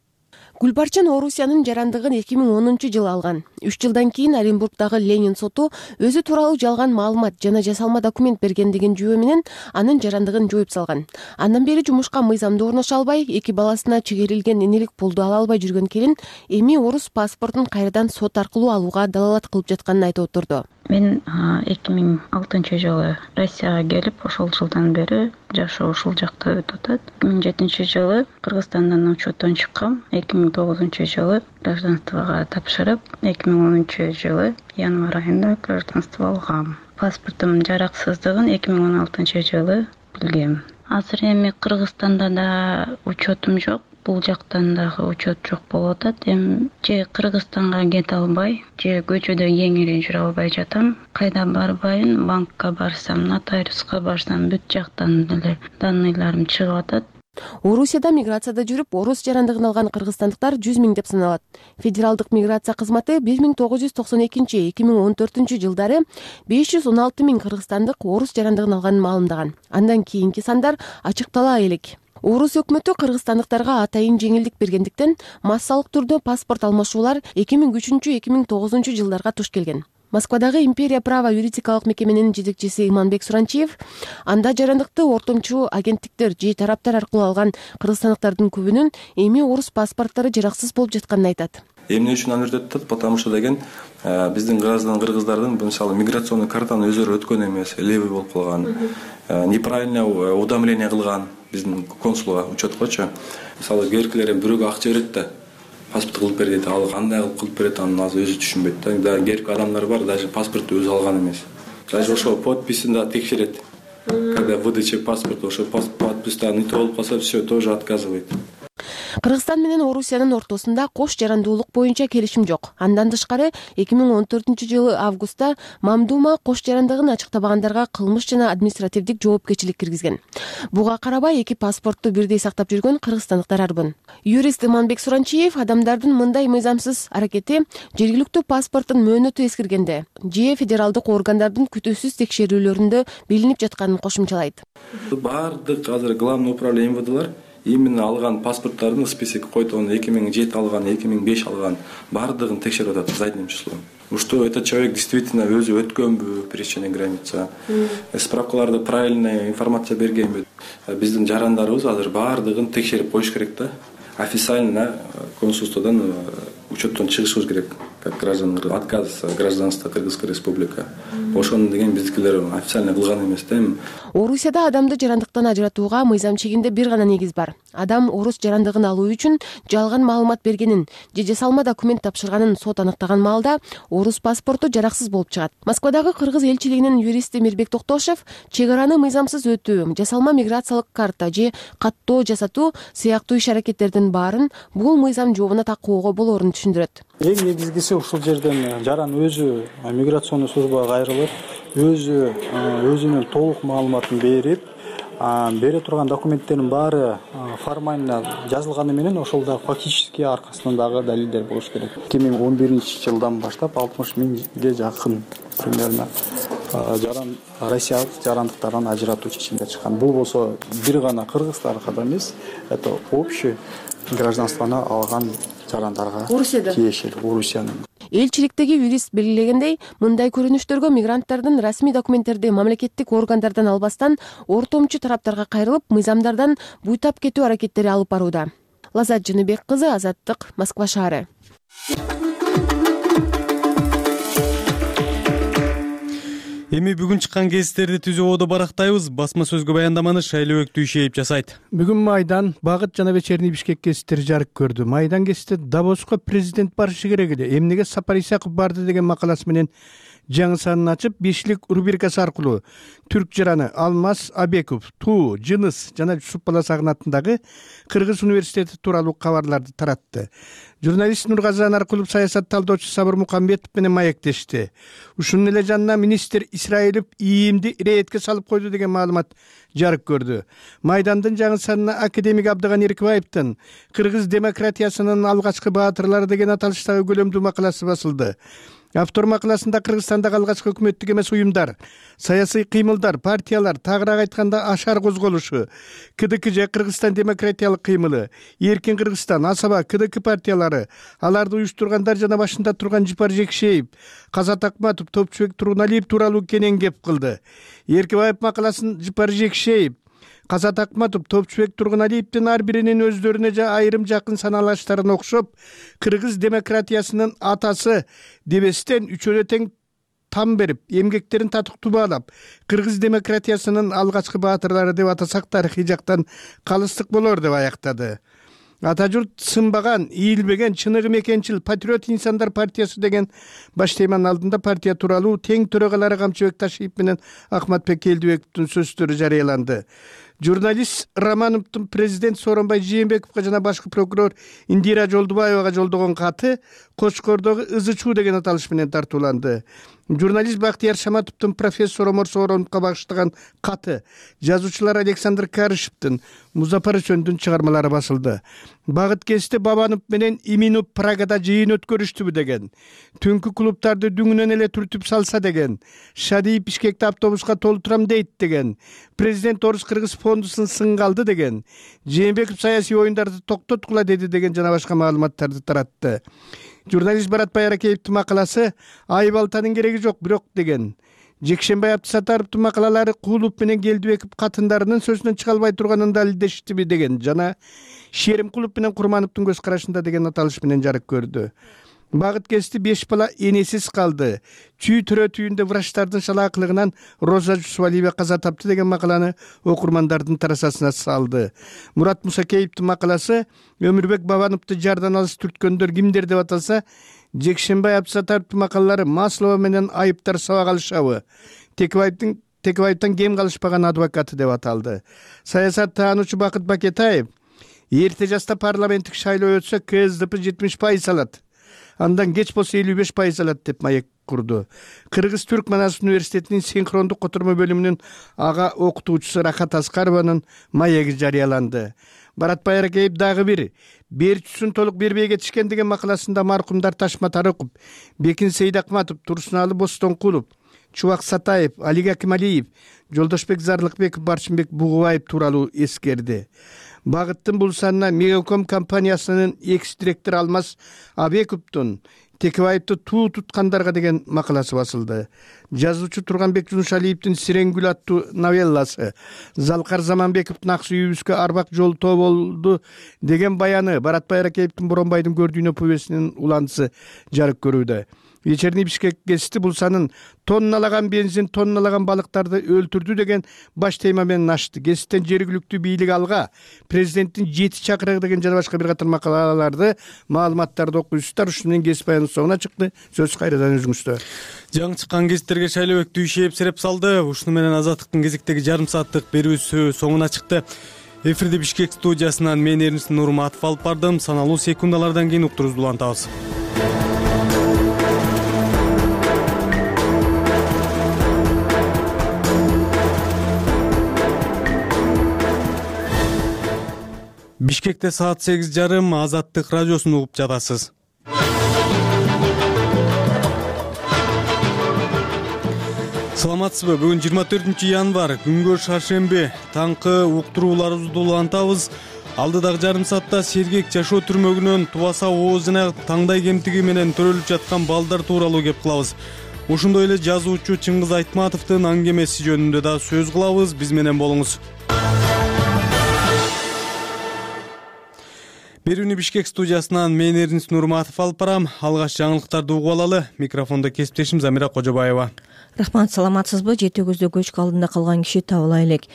Гүлбарчын Орусиянын жарандыгын эки миң онунчу жылы алган. үч жылдан кийин Оренбургдагы Ленин соту өзү тууралуу жалган маалымат жана жасалма документ берген деген жүйө менен анын жарандыгын жоюп салган. Андан бери жумушка мыйзамдуу орношо албай, эки баласына чегерилген энелик пулду ала албай жүргөн келин эми орус паспортун кайрадан сот аркылуу алууга далалат кылып жатканын айтып отурду. Мен эки миң алтынчы жылы Россияга келип, ошол жылдан бери жашоо ушул жакта өтүп атат. эки миң жетинчи жылы Кыргызстандан учеттон чыккам. эки миң тогузунчу жылы гражданствого тапшырып, эки миң онунчу жылы январь айында гражданство алгам. Паспортум жараксыздыгын эки миң он алтынчы жылы билгем. Азыр эми Кыргызстанда да учетум жок. Бул жактан дагы учет жок болуп атат. Эми же Кыргызстанга кете албай, же көчөдө кеңири жүрө албай жатам. Кайда барбайын, банкка барсам, нотариуска барсам, бүт жактан деле данныйларым чыгып атат. Орусияда миграцияда жүрүп, орус жарандыгын алган кыргызстандыктар жүз миң деп саналат. Федералдык миграция кызматы бир миң тогуз жүз токсон экинчи — эки миң он төртүнчү жылдары беш жүз он алты миң кыргызстандык орус жарандыгын алганын маалымдаган. Андан кийинки сандар ачыктала элек. Орус өкмөтү кыргызстандыктарга атайын жеңилдик бергендиктен массалык түрдө паспорт алмашуулар эки миң үчүнчү — эки миң тогузунчу жылдарга туш келген. Москвадагы Империя права юридикалык мекеменин жетекчиси Иманбек Суранчиев анда жарандыкты ортомчу агенттиктер же тараптар аркылуу алган кыргызстандыктардын көбүнүн эми орус паспорттору жараксыз болуп жатканын айтат. Эмне үчүн аны өтөт? Потому что деген биздин граждан кыргыздардын мисалы миграционный картаны өзүлөрү өткөн эмес, левый болуп калган, неправильно уведомление кылган биздин консулга, учеткочу. Мисалы керкилер бирөөгө акча берет да, паспорт кылып бер дейт, ал кандай кылып кылып берет, анын азыр өзү түшүнбөйт да. Керк адамдар бар, даже паспорту өзү алган эмес. Даже ошо подписин да текшерет. Когда выдача паспорта ошо подпистан не то болуп калса, все тоже отказывает. Кыргызстан менен Орусиянын ортосунда кош жарандуулук боюнча келишим жок. Андан тышкары эки миң он төртүнчү жылы августта Мамдума кош жарандыгын ачыктабагандарга кылмыш жана административдик жоопкерчилик киргизген. Буга карабай эки паспортту бирдей сактап жүргөн кыргызстандыктар арбын. Юрист Иманбек Суранчиев адамдардын мындай мыйзамсыз аракети жергиликтүү паспорттун мөөнөтү эскиргенде же федералдык органдардын күтүүсүз текшерүүлөрүндө билинип жатканын кошумчалайт. Бардык азыр главный управление эм вэ дэ лар именно алган паспорттардын список койт, он эки миң жети алган, эки миң беш алган, бардыгын текшерип атат задним числом. Что этот человек действительно өзү өткөнбү, пересечение граница, справкаларды правильная информация бергенби. Биздин жарандарыбыз азыр бардыгын текшерип коюш керек да. Официально консулстводон учеттон чыгышыбыз керек. как граждан отказ гражданства Кыргызской республика. Ошону деген биздикилер официально кылган эмес да. Эми Орусияда адамды жарандыктан ажыратууга мыйзам чегинде бир гана негиз бар. Адам орус жарандыгын алуу үчүн жалган маалымат бергенин же жасалма документ тапшырганын сот аныктаган маалда орус паспорту жараксыз болуп чыгат. Москвадагы кыргыз элчилигинин юристи Мирбек Токтошев чек араны мыйзамсыз өтүү, жасалма миграциялык карта же каттоо жасатуу сыяктуу иш-аракеттердин баарын бул мыйзам жообуна такоого болоорун түшүндүрөт. Эң негизгиси ушул жерден жаран өзү миграционный службага кайрылып, өзү өзүнүн толук маалыматын берип, бере турган документтердин баары формально жазылганы менен ошол да фактически аркасынан дагы далилдер болуш керек. эки миң он биринчи жылдан баштап алтымыш миңге жакын примерно жаран россиялык жарандыктардан ажыратуу чечимдер чыккан. Бул болсо бир гана кыргыз тарыхында эмес, это общий гражданствону алган жарандарга тиешелүү Орусиянын. Элчиликтеги юрист белгилегендей, мындай көрүнүштөргө мигранттардын расмий документтерди мамлекеттик органдардан албастан ортомчу тараптарга кайрылып, мыйзамдардан буйтап кетүү аракеттери алып барууда. Лазат Жыныбек кызы, Азаттык, Москва шаары. Эми бүгүн чыккан кесиптерди түзүүбөдө барактайбыз. Басма сөзгө баяндаманы Шайлообек Түйшеев жасайт. Бүгүн Майдан, Багыт жана Вечерний Бишкек кесиптери жарык көрдү. Майдан кесипте Давоско президент барышы керек эле. Эмнеге Сапар Исаков барды деген макаласы менен жаңы санын ачып, бешлик рубрикасы аркылуу түрк жараны Алмаз Абеков, Туу, Жыныс жана Жусуп Баласагын атындагы Кыргыз университети тууралуу кабарларды таратты. Журналист Нургазы Наркулов саясат талдоочу Сабыр Мукамбетов менен маектешти. Ушунун эле жанына министр Исраилов ИИМди рейдке салып койду деген маалымат жарык көрдү. Майдандын жаңы санына академик Абдыган Эркибаевдин Кыргыз демократиясынын алгачкы баатырлары деген аталыштагы көлөмдүү макаласы басылды. Автор макаласында Кыргызстандагы алгачкы өкмөттүк эмес уюмдар, саясий кыймылдар, партиялар, тагыраак айтканда Ашар козголушу, КДК Кыргызстан демократиялык кыймылы, Эркин Кыргызстан, Асаба, КДК партиялары, аларды уюштургандар жана башында турган Жипар Жекшеев, Казат Акматов, Топчубек Тургуналиев тууралуу кенен кеп кылды. Эркибаев макаласын Жипар Жекшеев, Казат Акматов, Топчубек Тургуналиевдин ар биринин өздөрүнө жа айрым жакын саналаштарына окшоп, Кыргыз демократиясынын атасы дебестен үчөлө тең там берип, эмгектерин татыктуу баалап, Кыргыз демократиясынын алгачкы баатырлары деп атасак тарыхый жактан калыстык болор деп аяктады. Ата журт сынбаган, ийилбеген, чыныгы мекенчил патриот инсандар партиясы деген баш теманын алдында партия тууралуу тең төрагалары Камчыбек Ташиев менен Ахматбек Келдибековдун сөздөрү жарыяланды. Журналист Романовдун президент Сооронбай Жээнбековго жана башкы прокурор Индира Жолдубаевага жолдогон каты Кочкордогу ызы чуу деген аталыш менен тартууланды. Журналист Бактияр Шаматовдун профессор Омар Соороновго багыштаган каты, жазуучулар Александр Карышевдин, Музафар Өчөндүн чыгармалары басылды. Багыт кесте Бабанов менен Иминов Прагада жыйын өткөрүштүбү деген, түнкү клубтарды дүңүнөн эле түртүп салса деген, Шадиев Бишкекте автобуска толтурам дейт деген, президент Орус Кыргыз фондусун сынга алды деген, Жээнбеков саясий оюндарды токтоткула деди деген жана башка маалыматтарды таратты. Журналист Баратбай Аракеевдин макаласы Айбалтанын кереги жок бирок деген. Жекшенбай Абдысатаровдун макалалары Куулуп менен Келдибеков катындарынын сөзүнөн чыга албай турганын далилдештиби деген жана Шеримкулов менен Курмановдун көз карашында деген аталыш менен жарык көрдү. Багыт кести беш бала энесиз калды. Чүй төрө түйүндө врачтардын шалаакылыгынан Роза Жусвалиева каза тапты деген макаланы окурмандардын тарасасына салды. Мурат Мусакеевдин макаласы Өмүрбек Бабановду жардан алыс түрткөндөр кимдер деп аталса, Жекшенбай Абдысатаровдун макалалары Маслова менен айыптар сабак алышабы, Текебаевдин Текебаевден кем калышпаган адвокаты деп аталды. Саясат таануучу Бакыт Бакетаев эрте жашта парламенттик шайлоо өтсө КСДП жетимиш пайыз алат. Андан кеч болсо элүү беш пайыз алат деп маек курду. Кыргыз Түрк Манас университетинин синхрондук котормо бөлүмүнүн ага окутуучусу Рахат Аскарованын маеги жарыяланды. Баратбай Аракеев дагы бир берчүсүн толук бербей кетишкен деген макаласында маркумдар Ташма Тарыков, Бекин Сейдакматов, Турсуналы Бостонкулов, Чубак Сатаев, Алик Акималиев, Жолдошбек Зарлыкбеков, Барчынбек Бугубаев тууралуу эскерди. Багыттын бул санына Мегаком компаниясынын экс-директору Алмаз Абековдун Текебаевди туу туткандарга деген макаласы басылды. Жазуучу Турганбек Жунушалиевдин Сиренгүл аттуу новелласы, Залкар Заманбековдун Ак сүйүүбүзгө арбак жол тоо болду деген баяны, Баратбай Аракеевдин Боронбайдын көрдүйнө повестинин уландысы жарык көрүүдө. Вечерний Бишкек гезити бул санын тонналаган бензин, тонналаган балыктарды өлтүрдү деген баш тема менен ачты. Гезиттен жергиликтүү бийлик алга, президенттин жети чакырыгы деген жана башка бир катар макалаларды, маалыматтарды окуйсуздар. Ушуну менен гезит баянын соңуна чыкты. Сөз кайрадан өзүңүздө. Жаңы чыккан гезиттерге Шайлообек Дүйшеев сереп салды. Ушуну менен Азаттыктын кезектеги жарым сааттык берүүсү соңуна чыкты. Эфирде Бишкек студиясынан мен Эрнис Нурматов алып бардым. Саналуу секундалардан кийин уктуруубузду улантабыз. Бишкекте саат сегиз жарым, Азаттык радиосун угуп жатасыз. Саламатсызбы? Бүгүн жыйырма төртүнчү январь, күнгө шаршемби. Таңкы уктурууларыбызды улантабыз. Алдыдагы жарым саатта сергек жашоо түрмөгүнөн тубаса ооз жана таңдай кемтиги менен төрөлүп жаткан балдар тууралуу кеп кылабыз. Ошондой эле жазуучу Чыңгыз Айтматовдун аңгемеси жөнүндө да сөз кылабыз. Биз менен болуңуз. Берүүнү Бишкек студиясынан мен Эрнис Нурматов алып барам. Алгач жаңылыктарды угуп алалы. Микрофондо кесиптешим Замира Кожобаева. Рахмат, саламатсызбы? Жети көздө көчкү алдында калган киши табыла элек.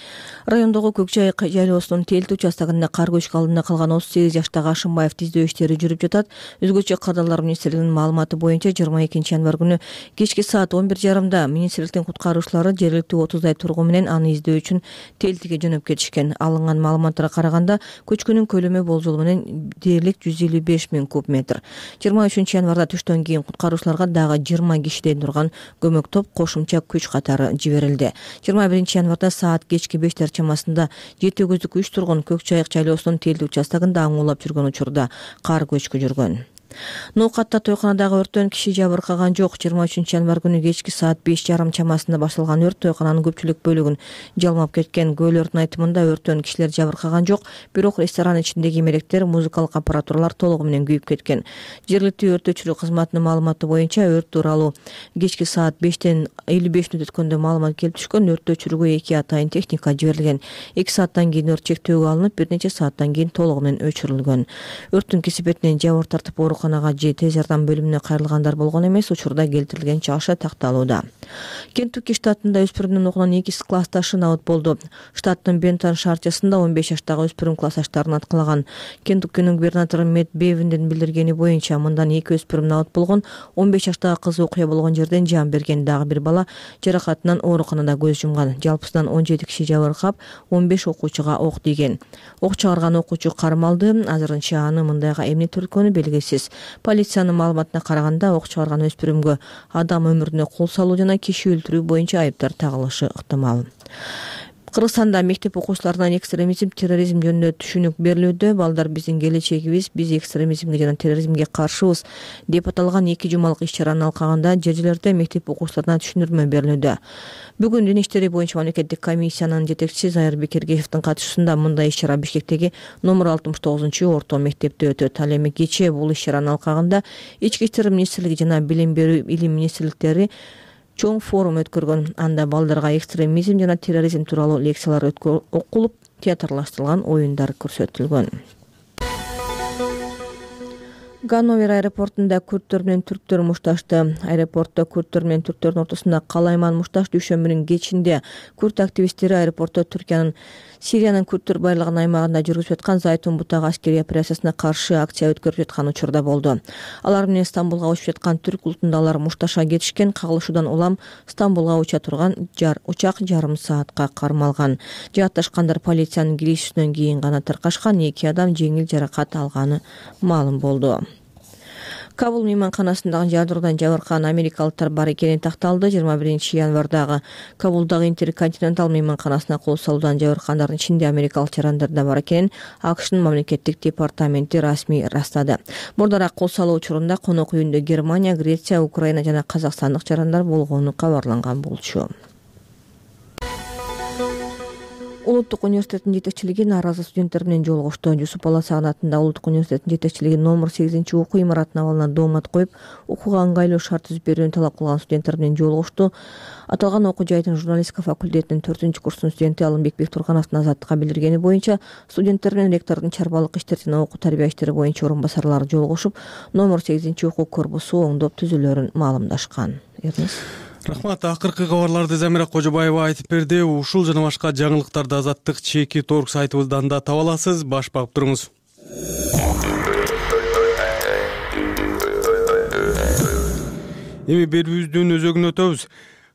Райондогу Көкчай жайлоосунун Телти участогунда кар көчкү алдында калган отуз сегиз жаштагы Ашымбаев издөө иштери жүрүп жатат. Өзгөчө Кырдаалдар министрлигинин маалыматы боюнча жыйырма экинчи январь күнү кечки саат он бир жарымда министрликтин куткаруучулары жергиликтүү отуздай тургун менен аны издөө үчүн Телтиге жөнөп кетишкен. Алынган маалыматтарга караганда көчкүнүн көлөмү болжол менен дээрлик жүз элүү беш миң куб метр. жыйырма үчүнчү январда түштөн кийин куткаруучуларга дагы жыйырма кишиден турган көмөк топ кошумча күч катары жиберилди. жыйырма биринчи январда саат кечки бештер чамасында жети көздүк үч тургун Көкчайык жайлоосунун Телти участогунда аңуулап жүргөн учурда кар көчкү жүргөн. Ноокатта тойканадагы өрттөн киши жабыркаган жок. жыйырма үчүнчү январь күнү кечки саат беш жарым чамасында башталган өрт тойкананын көпчүлүк бөлүгүн жалмап кеткен. Күбөлөрдүн айтымында өрттөн кишилер жабыркаган жок, бирок ресторан ичиндеги эмелектер, музыкалык аппаратуралар толугу менен күйүп кеткен. Жергиликтүү өрт өчүрүү кызматынын маалыматы боюнча өрт тууралуу кечки саат бештен элүү беш мүнөт өткөндө маалымат келип түшкөн. Өрттү өчүрүүгө эки атайын техника жиберилген. эки сааттан кийин өрт чектөөгө алынып, бир нече сааттан кийин толугу менен өчүрүлгөн. Өрттүн кесепетинен жабыр тартып ооруканага же тез жардам бөлүмүнө кайрылгандар болгон эмес. Учурда келтирилген чыгышы такталууда. Кентукки штатында өспүрүмдүн окуган эки классташы набыт болду. Штаттын Бентон шаарчасында он беш жаштагы өспүрүм классташтарын аткалаган. Кентуккинин губернатору Мэтт Бевиндин билдиргени боюнча мындан эки өспүрүм набыт болгон. он беш жаштагы кыз окуя болгон жерден жан берген. Дагы бир бала жаракатынан ооруканада көз жумган. Жалпысынан он жети киши жабыркап, он беш окуучуга ок тийген. Ок чыгарган окуучу кармалды. Азырынча аны мындайга эмне түрткөнү белгисиз. Полициянын маалыматына караганда ок чыгарган өспүрүмгө адам өмүрүнө кол салуу жана киши өлтүрүү боюнча айыптар тагылышы ыктымал. Кыргызстанда мектеп окуучуларына экстремизм, терроризм жөнүндө түшүнүк берилүүдө. Балдар биздин келечегибиз, биз экстремизмге жана терроризмге каршыбыз деп аталган эки жумалык иш-чаранын алкагында жер-жерлерде мектеп окуучуларына түшүндүрмө берилүүдө. Бүгүн Дин иштери боюнча мамлекеттик комиссиянын жетекчиси Зайыр Бекергеевдин катышуусунда мындай иш-чара Бишкектеги номер алтымыш тогузунчу орто мектепте өтөт. Ал эми кечээ бул иш-чаранын алкагында Ички иштер министрлиги жана Билим берүү илим министрликтери чоң форум өткөргөн. Анда балдарга экстремизм жана терроризм тууралуу лекциялар окулуп, театрлаштырылган оюндар көрсөтүлгөн. Ганновер аэропортунда күрттөр менен түрктөр мушташты. Аэропортто күрттөр менен түрктөрдүн ортосунда калайман мушташ дүйшөмбүнүн кечинде күрт активисттери аэропортто Түркиянын Сириянын күрттөр байлыгын аймагында жүргүзүп жаткан Зайтун бутагы аскерий операциясына каршы акция өткөрүп жаткан учурда болду. Алар менен Стамбулга учуп жаткан түрк улутунда алар мушташа кетишкен. Кагылышуудан улам Стамбулга уча турган жар учак жарым саатка кармалган. Жаатташкандар полициянын киришүүсүнөн кийин гана таркашкан. Эки адам жеңил жаракат алганы маалым болду. Кабул мейманканасындагы жардыруудан жабыркаган америкалыктар бар экени такталды. жыйырма биринчи январдагы Кабулдагы Интерконтинентал мейманканасына кол салуудан жабыркагандардын ичинде америкалык жарандар да бар экенин АКШнын мамлекеттик департаменти расмий ырастады. Мурдараак кол салуу учурунда конок үйүндө Германия, Греция, Украина жана Казакстандык жарандар болгону кабарланган болчу. Улуттук университеттин жетекчилиги нааразы студенттер менен жолугушту. Жусуп Аласаган атындагы Улуттук университеттин жетекчилиги номер сегизинчи окуу имаратынын абалына доомат коюп, окууга ыңгайлуу шарт түзүп берүүнү талап кылган студенттер менен жолугушту. Аталган окуу жайдын журналистика факультетинин төртүнчү курстун студенти Алымбек Бектургановдун Азаттыкка билдиргени боюнча, студенттер менен ректордун чарбалык иштер жана окуу тарбия иштери боюнча орун басарлары жолугушуп, номер сегизинчи окуу корпусу оңдоп түзүлөрүн маалымдашкан. Эрнес. Рахмат. Акыркы кабарларды Замира Кожобаева айтып берди. Ушул жана башка жаңылыктарды Азаттык чеки торг сайтыбыздан да таба аласыз. Баш багып туруңуз. Эми берүүбүздүн өзөгүнө өтөбүз.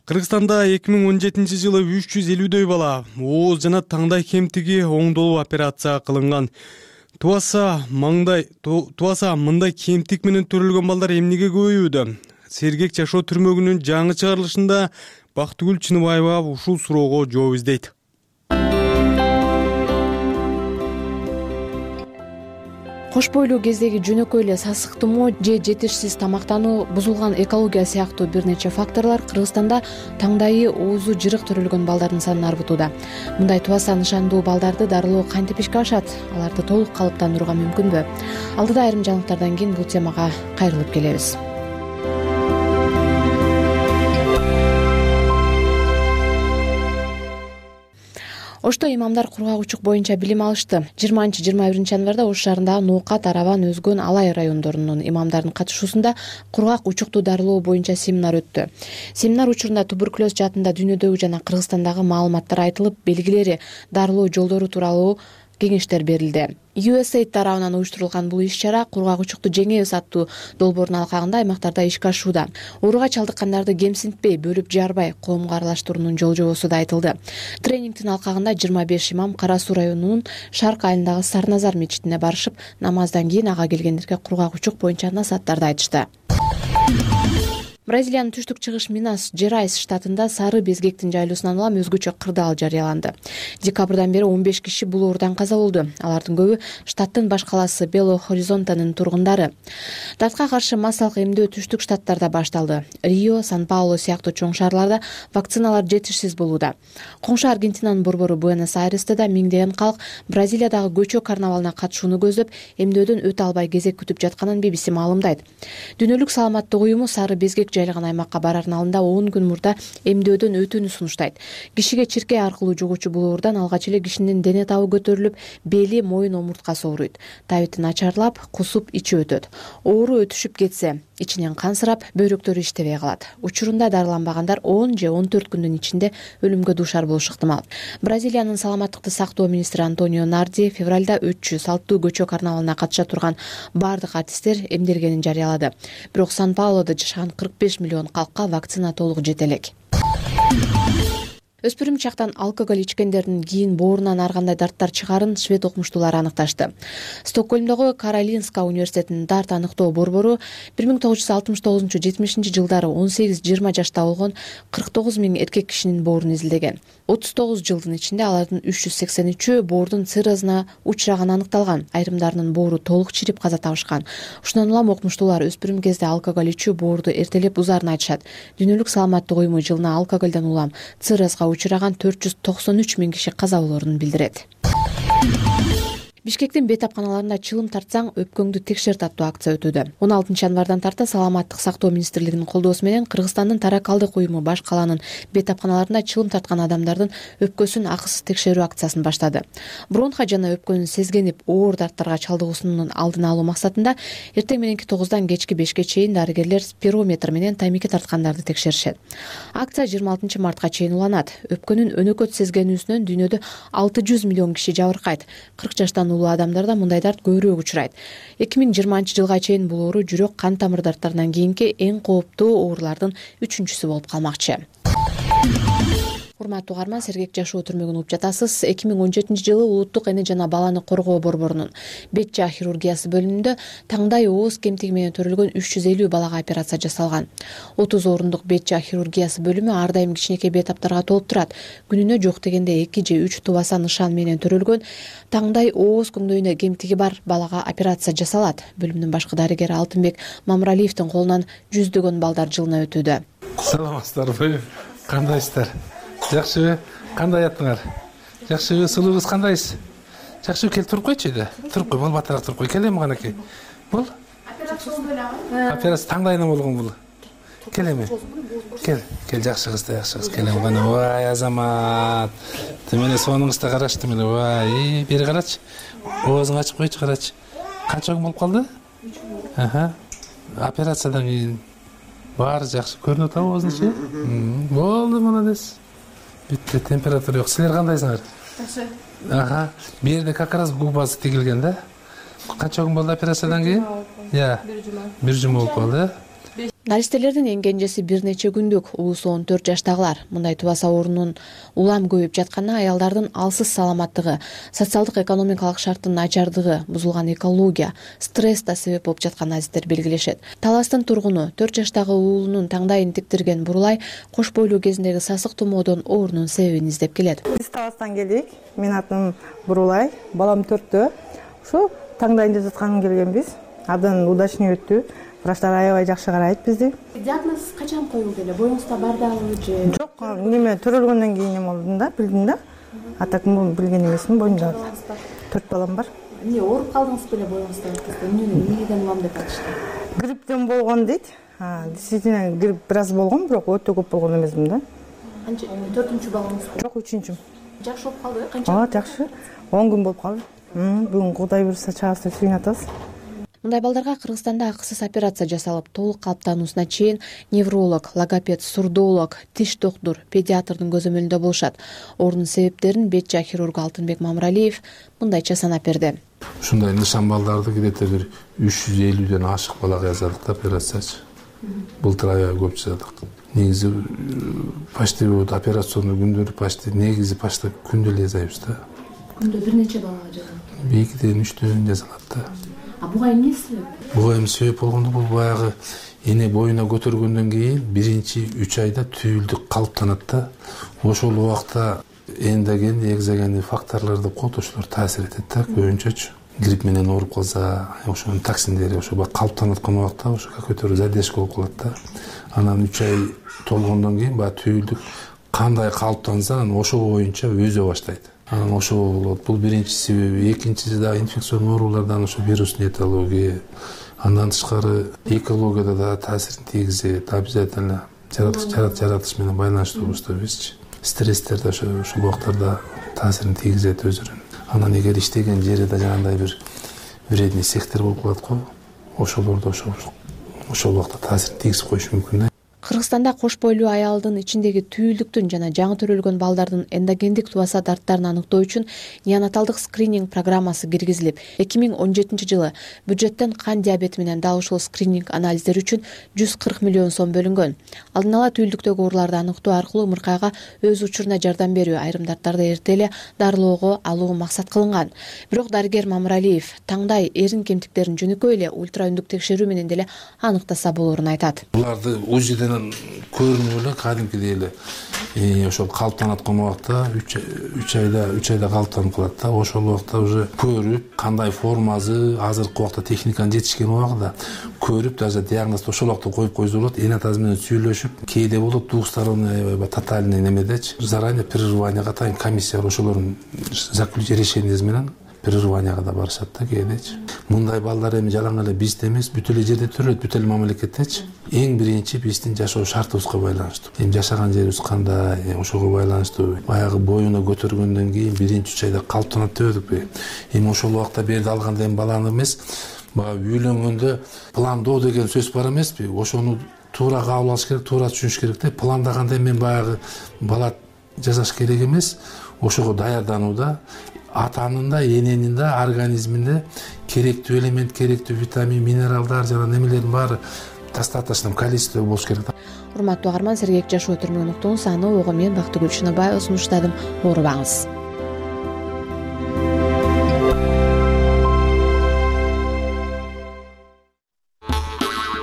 Кыргызстанда эки миң он жетинчи жылы үч жүз элүүдөй бала ооз жана таңдай кемтиги оңдолуп операция кылынган. Тубаса маңдай тубаса мындай кемтик менен төрөлгөн балдар эмнеге көбөйүүдө? Сергек жашоо түрмөгүнүн жаңы чыгарылышында Бактыгүл Чыныбаева ушул суроого жооп издейт. Кош бойлуу кездеги жөнөкөй эле сасык тумоо же жетишсиз тамактануу, бузулган экология сыяктуу бир нече факторлор Кыргызстанда таңдайы оозу жырык төрөлгөн балдардын санын арбытууда. Мындай тубаса нышандуу балдарды дарылоо кантип ишке ашат? Аларды толук калыптандырууга мүмкүнбү? Алдыда айрым жаңылыктардан кийин бул темага кайрылып келебиз. Ошто имамдар кургак-учук боюнча билим алышты. жыйырманчы жыйырма биринчи январда Ош шаарындагы Ноокат, Арабан, Өзгөн, Алай райондорунун имамдардын катышуусунда кургак-учукту дарылоо боюнча семинар өттү. Семинар учурунда туберкулез жаатында дүйнөдөгү жана Кыргызстандагы маалыматтар айтылып, белгилери, дарылоо жолдору тууралуу кеңештер берилди. ю эс эйд тарабынан уюштурулган бул иш-чара кургак-учукту жеңебиз аттуу долбоордун алкагында аймактарда ишке ашууда. Ооруга чалдыккандарды кемсинтпей, бөлүп жарбай, коомго аралаштыруунун жол жобосу да айтылды. Тренингдин алкагында жыйырма беш имам Кара Суу районунун Шарк айылындагы Сарназар мечитине барышып, намаздан кийин ага келгендерге кургак-учук боюнча насааттарды айтышты. Бразилиянын түштүк-чыгыш Минас Жерайс штатында сары безгектин жайлоосунан улам өзгөчө кырдаал жарыяланды. Декабрдан бери он беш киши бул оорудан каза болду. Алардын көбү штаттын баш калаасы Бело Хоризонтанын тургундары. Дартка каршы массалык эмдөө түштүк штаттарда башталды. Рио, Сан-Паулу сыяктуу чоң шаарларда вакциналар жетишсиз болууда. Коңшу Аргентинанын борбору Буэнос-Айресте да миңдеген калк Бразилиядагы көчө карнавалына катышууну көздөп, эмдөөдөн өтө албай кезек күтүп жатканын би би си маалымдайт. Дүйнөлүк саламаттык уюму сары безгек жайлаган аймакка барардын алдында он күн мурда эмдөөдөн өтүүнү сунуштайт. Кишиге чиркей аркылуу жугуучу бул оорудан алгач эле кишинин дене табы көтөрүлүп, бели, моюн омурткасы ооруйт. Табити начарлап, кусуп, ичи өтөт. Оору өтүшүп кетсе, ичинен кансырап, бөйрөктөрү иштебей калат. Учурунда дарыланбагандар он же он төрт күндүн ичинде өлүмгө дуушар болушу ыктымал. Бразилиянын саламаттыкты сактоо министри Антонио Нарди февралда өтчү салттуу көчө карнавалына катыша турган бардык артисттер эмделгенин жарыялады. Бирок Сан-Паулодо жашаган кырк беш миллион калкка вакцина толук жете элек. Өспүрүм чактан алкоголь ичкендердин кийин боорунан ар кандай дарттар чыгарын швед окумуштуулары аныкташты. Стокгольмдогу Каролинска университетинин дарт аныктоо борбору бир миң тогуз жүз алтымыш тогузунчу — жетимишинчи жылдары он сегиз жыйырма жашта болгон кырк тогуз миң эркек кишинин боорун изилдеген. отуз тогуз жылдын ичинде алардын үч жүз сексен үчөө боордун циррозуна учураганы аныкталган. Айрымдарынын боору толук чирип каза табышкан. Ушундан улам окумуштуулар өспүрүм кезде алкоголь ичүү боорду эртелеп узарын айтышат. Дүйнөлүк саламаттык уюму жылына алкоголдон улам циррозго учураган төрт жүз токсон үч миң киши каза болоорун билдирет. Бишкектин бейтапканаларында чылым тартсаң өпкөңдү текшерт аттуу акция өтүүдө. он алтынчы январдан тарта саламаттык сактоо министрлигинин колдоосу менен Кыргызстандын таракалдык уюму баш каланын бейтапканаларында чылым тарткан адамдардын өпкөсүн акысыз текшерүү акциясын баштады. Бронха жана өпкөнүн сезгенип оор дарттарга чалдыгуусунун алдын алуу максатында эртең мененки тогуздан кечки бешке чейин дарыгерлер спирометр менен таймикке тарткандарды текшеришет. Акция жыйырма алтынчы мартка чейин уланат. Өпкөнүн өнөкөт сезгенүүсүнөн дүйнөдө алты жүз миллион киши жабыркайт. кырк жаштан улуу адамдарда мындай дарт көбүрөөк учурайт. эки миң жыйырманчы жылга чейин бул оору жүрөк кан тамыр дарттарынан кийинки эң кооптуу оорулардын үчүнчүсү болуп калмакчы. Урматтуу угарман, сергек жашоо түрмөгүн угуп жатасыз. эки миң он жетинчи жылы Улуттук эне жана баланы коргоо борборунун бет жаа хирургиясы бөлүмүндө таңдай ооз кемтиги менен төрөлгөн үч жүз элүү балага операция жасалган. отуз орундук бет жаа хирургиясы бөлүмү ар дайым кичинекей бейтаптарга толуп турат. Күнүнө жок дегенде эки же үч тубаса нышан менен төрөлгөн таңдай ооз көңдөйүнө кемтиги бар балага операция жасалат. Бөлүмдүн башкы дарыгери Алтынбек Мамралиевдин колунан жүздөгөн балдар жылына өтүүдө. Саламатсыздарбы? Кандайсыздар? Жакшыбы? Кандай аттыңар? жакшыбы, сулуубуз кандайсыз? Жакшы, кел туруп койчу да. Туруп кой, бол батыраак туруп кой. Келем канакей. Бол. Операция таңдайына болгон бул. Келеби? Кел, кел жакшы кыз да, жакшы кыз. Келем кана. Вай, Азамат. Темеле сонуңузда карашты меле. Вай, бери карачы. Оозуңду ачып койчу, карачы. Канча күн болуп калды? Аха. Операциядан кийин баары жакшы көрүнүп атабы оозуңчу? Болду, молодец. Бүтті, температура жоқ. Сілер қандайсыңар? Жақсы. Аха. Бір жерде как раз губасы тигилген да? Қанша күн болды операциядан кейін? Иә. Бір жұма болып қалды. Наристелердин эң кенжеси бир нече күндүк, улуусу он төрт жаштагылар. Мындай тубаса оорунун улам көбөйүп жатканы аялдардын алсыз саламаттыгы, социалдык экономикалык шарттын начардыгы, бузулган экология, стресс да себеп болуп жатканын азиздер белгилешет. Таластын тургуну төрт жаштагы уулунун таңдайын тиктирген Бурулай кош бойлуу кезиндеги сасык тумоодон оорунун себебин издеп келет. Биз Таластан келдик. Менин атым Бурулай, балам төрттө. Ушу таңдайын деп жатканын келгенбиз. Абдан удачный өттү. Врачтар аябай жакшы карайт бизди. Диагноз качан коюлду эле? Боюңузда бар дагы же? Жок, неме төрөлгөндөн кийин эме болдум да, билдим да. Атак билген эмесмин, боюмда төрт балам бар. Эмне ооруп калдыңыз беле боюңузда? Эмне эмнеден улам деп айтышты? Грипптен болгон дейт. Действительно грипп бир аз болгон, бирок өтө көп болгон эмесмин да. Канча төртүнчү балаңыз? Жок, үчүнчү. Жакшы болуп калды? Канча? Аа, жакшы. он күн болуп калды. Бүгүн Кудай буйруса чыгабыз деп сүйүнүп атабыз. Мындай балдарга Кыргызстанда акысыз операция жасалып, толук калыптануусуна чейин невролог, логопед, сурдолог, тиш доктур, педиатрдын көзөмөлүндө болушат. Оорунун себептерин бет-жаа хирургу Алтынбек Мамыралиев мындайча санап берди. Ушундай нышан балдарды кидете бир үч жүз элүүдөн ашык балага жасадык да операциячы. Былтыр аябай көп жасадык. Негизи почти вот операционный күндөрү почти негизи почти күндө эле жасайбыз да. Күндө бир нече балага жасалат? Экиден үчтөн жасалат да. А буга эмне себеп? Буга эми себеп болгондо бул баягы эне боюна көтөргөндөн кийин биринчи үч айда түйүлдүк калыптанат да. Ошол убакта эндоген, экзогендик факторлорду кот ошолор таасир этет да, көбүнчөчү. Грипп менен ооруп калса, ошонун токсиндери ошо калып аткан убакта ошо көтөрүп задержка болуп калат да. Анан үч ай толгондон кийин баягы түйүлдүк кандай калыптанса, анан ошо боюнча өзө баштайт. Анан ошо болот. Бул биринчи себеби. Экинчиси да инфекционный оорулардан ошо вирусный этиология. Андан тышкары экологияда да таасирин тийгизет. Обязательно жаратылыш жаратылыш менен байланыштуу болсо бизчи. Стресстер да ошо ошол убактарда таасирин тийгизет өзүнүн. Анан эгер иштеген жери да жанагындай бир вредный сектор болуп калат го, ошолордо ошо ошол убакта таасирин тийгизип коюшу мүмкүн да. Кыргызстанда кош бойлуу аялдын ичиндеги түйүлдүктүн жана жаңы төрөлгөн балдардын эндогендик тубаса дарттарын аныктоо үчүн неонаталдык скрининг программасы киргизилип, эки миң он жетинчи жылы бюджеттен кан диабети менен дал ушул скрининг анализдери үчүн жүз кырк миллион сом бөлүнгөн. Алдын ала түйүлдүктөгү ооруларды аныктоо аркылуу ымыркайга өз учуруна жардам берүү, айрым дарттарды эрте эле дарылоого алуу максат кылынган. Бирок дарыгер Мамыралиев таңдай эрин кемтиктерин жөнөкөй эле ультра үндүк текшерүү менен деле аныктаса болоорун айтат. Буларды УЗИден көрүнүп эле кадимкидей эле ошол калыптанып аткан убакта үч айда үч айда калыптанып калат да. Ошол убакта уже көрүп кандай формасы азыркы убакта техниканын жетишкен убагында көрүп даже диагнозду ошол убакта коюп койсо болот. Эне атасы менен сүйлөшүп, кээде болот двухсторонний тотальный немедечи заранее прерыванияга атайын комиссия бар, ошолордун решенияси менен прерыванияга да барышат да кээдечи. Мындай балдар эми жалаң эле бизде эмес, бүт эле жерде төрөлөт, бүт эле мамлекеттечи. Эң биринчи биздин жашоо шартыбызга байланыштуу. Эми жашаган жерибиз кандай, ошого байланыштуу. Баягы боюна көтөргөндөн кийин биринчи үч айда калыптанат дебедикпи? Эми ошол убакта берди алганда эми баланы эмес, баягы үйлөнгөндө пландоо деген сөз бар эмеспи? Ошону туура кабыл алыш керек, туура түшүнүш керек да. Пландаганда мен баягы бала жасаш керек эмес, ошого даярданууда атанын да, эненин да организминде керектүү элемент, керектүү витамин, минералдар жана немелердин баары достаточно количество болуш керек. Урматтуу угарман, сергек жашоо өтөрмөн уктуңуз. Аны ого мен Бактыгүл Шыныбаева сунуштадым. Оорубаңыз.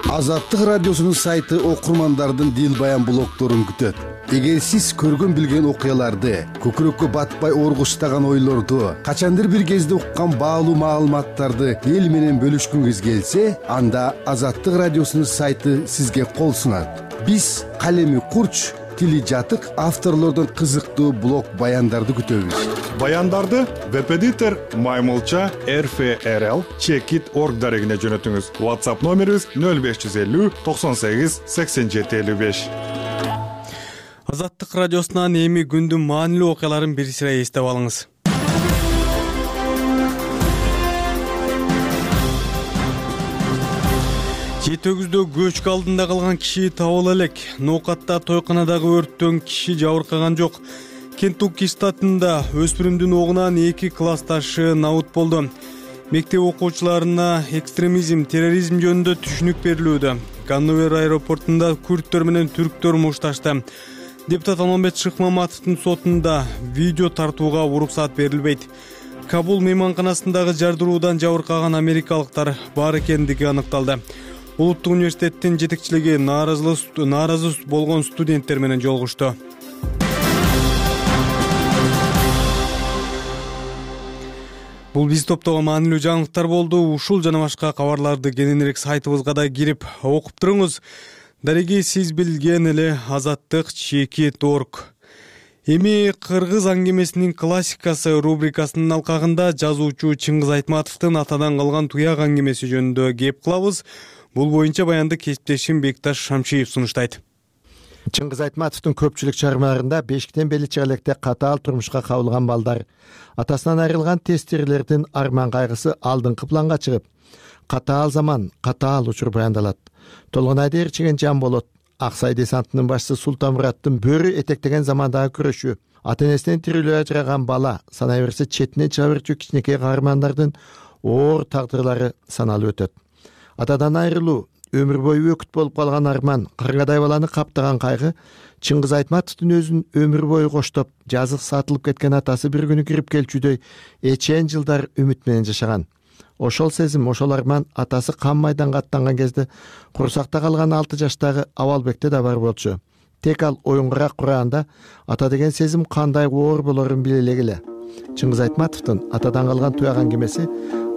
Азаттык радиосунун сайты окурмандардын дил баян блогдорун күтөт. Эгер сиз көргөн билген окуяларды, көкүрөккө батпай оргуштаган ойлорду, качандыр бир кезде уккан баалуу маалыматтарды эл менен бөлүшкүңүз келсе, анда Азаттык радиосунун сайты сизге кол сунат. Биз калеми курч, тили жатык авторлордон кызыктуу блог баяндарды күтөбүз. Баяндарды веб-эдитор маймылча эр эф эр эл чекит точка орг дарегине жөнөтүңүз. WhatsApp номерибиз нөл беш жүз элүү токсон сегиз сексен жети элүү беш. Азаттык радиосунан эми күндүн маанилүү окуяларын бир сыра эстеп алыңыз. Жети өгүздө көчкү алдында калган киши табыла элек. Ноокатта тойканадагы өрттөн киши жабыркаган жок. Кентукки штатында өспүрүмдүн огунан эки классташы набыт болду. Мектеп окуучуларына экстремизм, терроризм жөнүндө түшүнүк берилүүдө. Ганновер аэропортунда күрттөр менен түрктөр мушташты. Депутат Алмамбет Шыкмаматовдун сотунда видео тартууга уруксат берилбейт. Кабул мейманканасындагы жардыруудан жабыркаган америкалыктар бар экендиги аныкталды. Улуттук университеттин жетекчилиги нааразы болгон студенттер менен жолугушту. Бул биз топтогон маанилүү жаңылыктар болду. Ушул жана башка кабарларды кененирээк сайтыбызга да кирип окуп туруңуз. Дареги сиз билген эле азаттык чекит точка орг. Эми кыргыз аңгемесинин классикасы рубрикасынын алкагында жазуучу Чыңгыз Айтматовдун атадан калган туяк аңгемеси жөнүндө кеп кылабыз. Бул боюнча баянды кесиптешим Бекташ Шамшиев сунуштайт. Чыңгыз Айтматовдун көпчүлүк чыгармаларында бешиктен бели чыгалекте катаал турмушка кабылган балдар, атасынан айрылган тестирлердин арман кайгысы алдыңкы планга чыгып, катаал заман, катаал учур баяндалат. Толгонайды ээрчиген жан болот. Аксай десантынын башчысы Султанмураттын бөрү этектеген замандагы күрөшү, ата-энесинен тирүүлөй ажыраган бала, санай берсе четине чыга берчү кичинекей каармандардын оор тагдырлары саналып өтөт. Атадан айрылуу, өмүр бою өкүт болуп калган арман, кыргадай баланы каптаган кайгы Чыңгыз Айтматовдун өзүн өмүр бою коштоп, жазык сатылып кеткен атасы бир күнү кирип келчүдөй эчен жылдар үмүт менен жашаган. Ошол сезим, ошол арман атасы кан майданга аттанган кезде курсакта калган алты жаштагы Абалбекте да бар болчу. Тек ал оюнгарак кураганда ата деген сезим кандай оор болорун биле элегиле. Чыңгыз Айтматовдун атадан калган туяк аңгемеси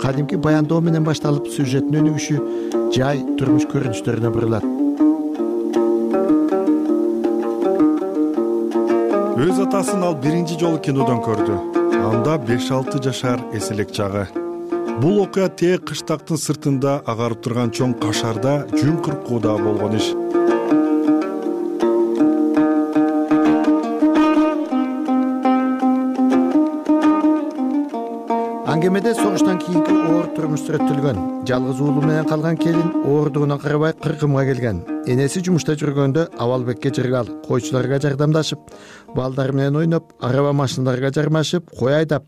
кадимки баяндоо менен башталып, сюжеттин өнүгүшү жай турмуш көрүнүштөрүнө бурулат. Өз атасын ал биринчи жолу кинодон көрдү. Анда беш алты жашар эселек чагы. Бул окуя тээ кыштактын сыртында агарып турган чоң кашарда жүн кыркууда болгон иш. Аңгемеде согуштан кийинки оор турмуш сүрөттөлгөн. Жалгыз уулу менен калган келин оордугуна карабай кыркымга келген. Энеси жумушта жүргөндө Абалбекке жыргал, койчуларга жардамдашып, балдар менен ойноп, араба машиналарга жармашып, кой айдап,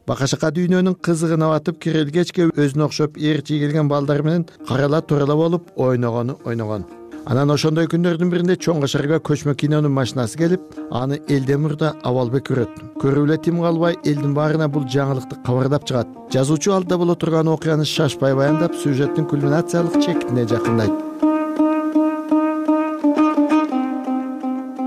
бакашака дүйнөнүн кызыгына батып, кирелгечке өзүнө окшоп ээрчи келген балдар менен карала турала болуп ойногону ойногон. Анан ошондой күндөрдүн биринде чоң кашарга көчмө кинонун машинасы келип, аны элден мурда Абалбек көрөт. Көрүп эле тим калбай, элдин баарына бул жаңылыкты кабардап чыгат. Жазуучу алдыда боло турган окуяны шашпай баяндап, сюжеттин кульминациялык чекитине жакындайт.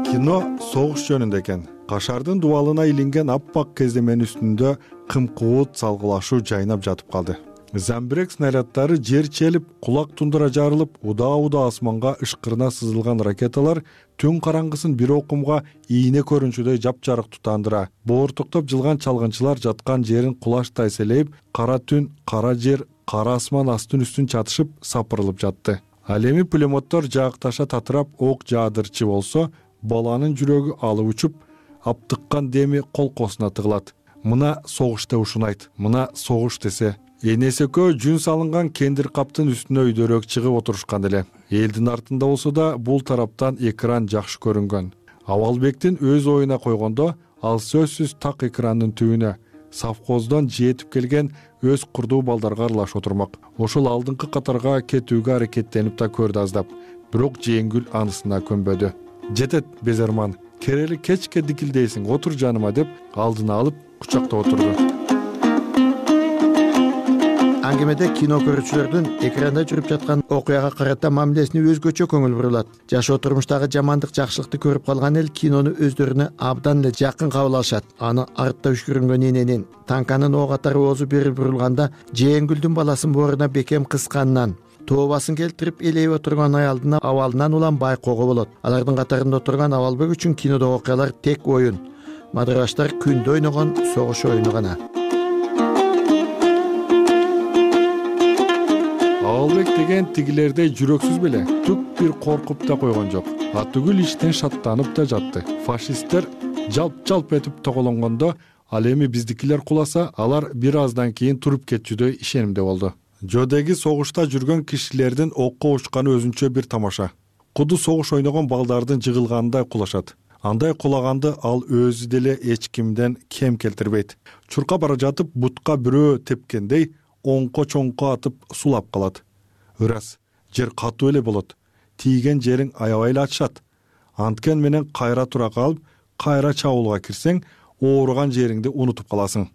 Кино согуш жөнүндө экен. Кашардын дубалына илинген аппак кеземенин үстүндө кымкуут салгылашуу жайнап жатып калды. Замбирек снаряддары жер челип, кулак тундура жарылып, удаа-удаа асманга ышкырына сызылган ракеталар түн караңгысын бир окумга ийне көрүнчүдөй жапжарык тутандыра. Боортуктап жылган чалгынчылар жаткан жерин кулаштай селейип, кара түн, кара жер, кара асман астын үстүн чатышып, сапырылып жатты. Ал эми пулеметтор жаакташа татырап ок жаадырчы болсо, баланын жүрөгү алып учуп, аптыккан деми колкосуна тыгылат. Мына согуш деп ушунайт, мына согуш десе. Энеси экөө жүн салынган кендир каптын үстүнө өйдөрөөк чыгып отурушкан эле. Элдин артында болсо да бул тараптан экран жакшы көрүнгөн. Абалбектин өз оюна койгондо, ал сөзсүз так экрандын түбүнө совхоздон жетип келген өз курдуу балдарга аралаш отурмак. Ошол алдыңкы катарга кетүүгө аракеттенип да көрдү аздап. Бирок Жеңгүл анысына көнбөдү. Жетет Безерман, керели кечке дикилдейсиң, отур жаныма деп алдына алып кучактап отурду. Аңгемеде кино көрүүчүлөрдүн экранда жүрүп жаткан окуяга карата мамилесине өзгөчө көңүл бурулат. Жашоо турмуштагы жамандык, жакшылыкты көрүп калган эл кинону өздөрүнө абдан эле жакын кабыл алышат. Аны артта үшкүрүнгөн эненин, танканын ок атары оозу бери бурулганда Жээңгүлдүн баласын бооруна бекем кысканынан, тообасын келтирип элейип отурган аялдын абалынан улам байкоого болот. Алардын катарында отурган Абалбек үчүн кинодогу окуялар тек оюн. мадыраштар күндө ойногон согуш оюну гана. Абалбек деген тигилердей жүрөксүз беле, түк бир коркуп да койгон жок. Атүгүл иштен шаттанып да жатты. Фашисттер жалп-жалп этип тоголонгондо, ал эми биздикилер куласа, алар бир аздан кийин туруп кетчүдөй ишенимде болду. Жодеги согушта жүргөн кишилердин окко учканы өзүнчө бир тамаша. Куду согуш ойногон балдардын жыгылгандай кулашат. Андай кулаганды ал өзү деле эч кимден кем келтирбейт. Чуркап бара жатып бутка бирөө тепкендей оңко-чоңко атып сулап калат. Ырас, жер катуу эле болот. Тийген жериң аябай эле ачышат. Анткен менен кайра тура калып, кайра чабуулга кирсең, ооруган жериңди унутуп каласың.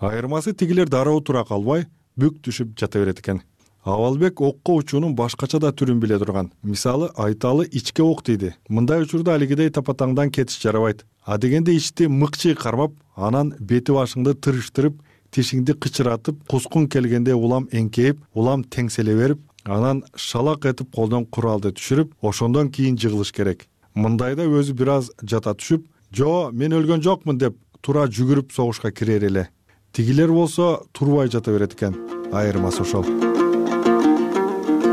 Айырмасы тигилер дароо тура калбай, бүк түшүп жата берет экен. Абалбек окко учуунун башкача да түрүн биле турган. Мисалы, айталы ичке ок дейди. Мындай учурда алигидей тапатаңдан кетиш жарабайт. А дегенде ичти мыкчый кармап, анан бети башыңды тырыштырып, тишиңди кычыратып, кускун келгенде улам эңкейип, улам теңселе берип, анан шалак этип колдон куралды түшүрүп, ошондон кийин жыгылыш керек. Мындайда өзү бир аз жата түшүп, "Жо, мен өлгөн жокмун" деп тура жүгүрүп согушка кирер эле. Тигилер болсо турбай жата берет экен. Айырмасы ошол.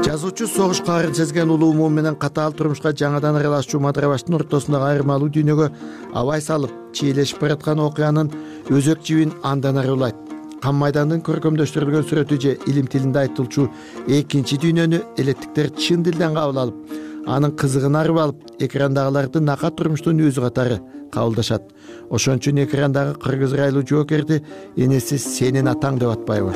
Жазуучу согуш каарын сезген улуу муун менен катаал турмушка жаңадан аралашчу Мадырабаштын ортосундагы айырмалуу дүйнөгө абай салып, чийлешип бараткан окуянын өзөк жибин андан ары улайт. Кан майдандын көркөмдөштүрүлгөн сүрөтү же илим тилинде айтылчу экинчи дүйнөнү элеттиктер чын дилден кабыл алып, анын кызыгын арып алып, экрандагыларды накат турмуштун өзү катары кабылдашат. Ошон үчүн экрандагы кыргыз райлуу жоокерди энеси сенин атаң деп атпайбы?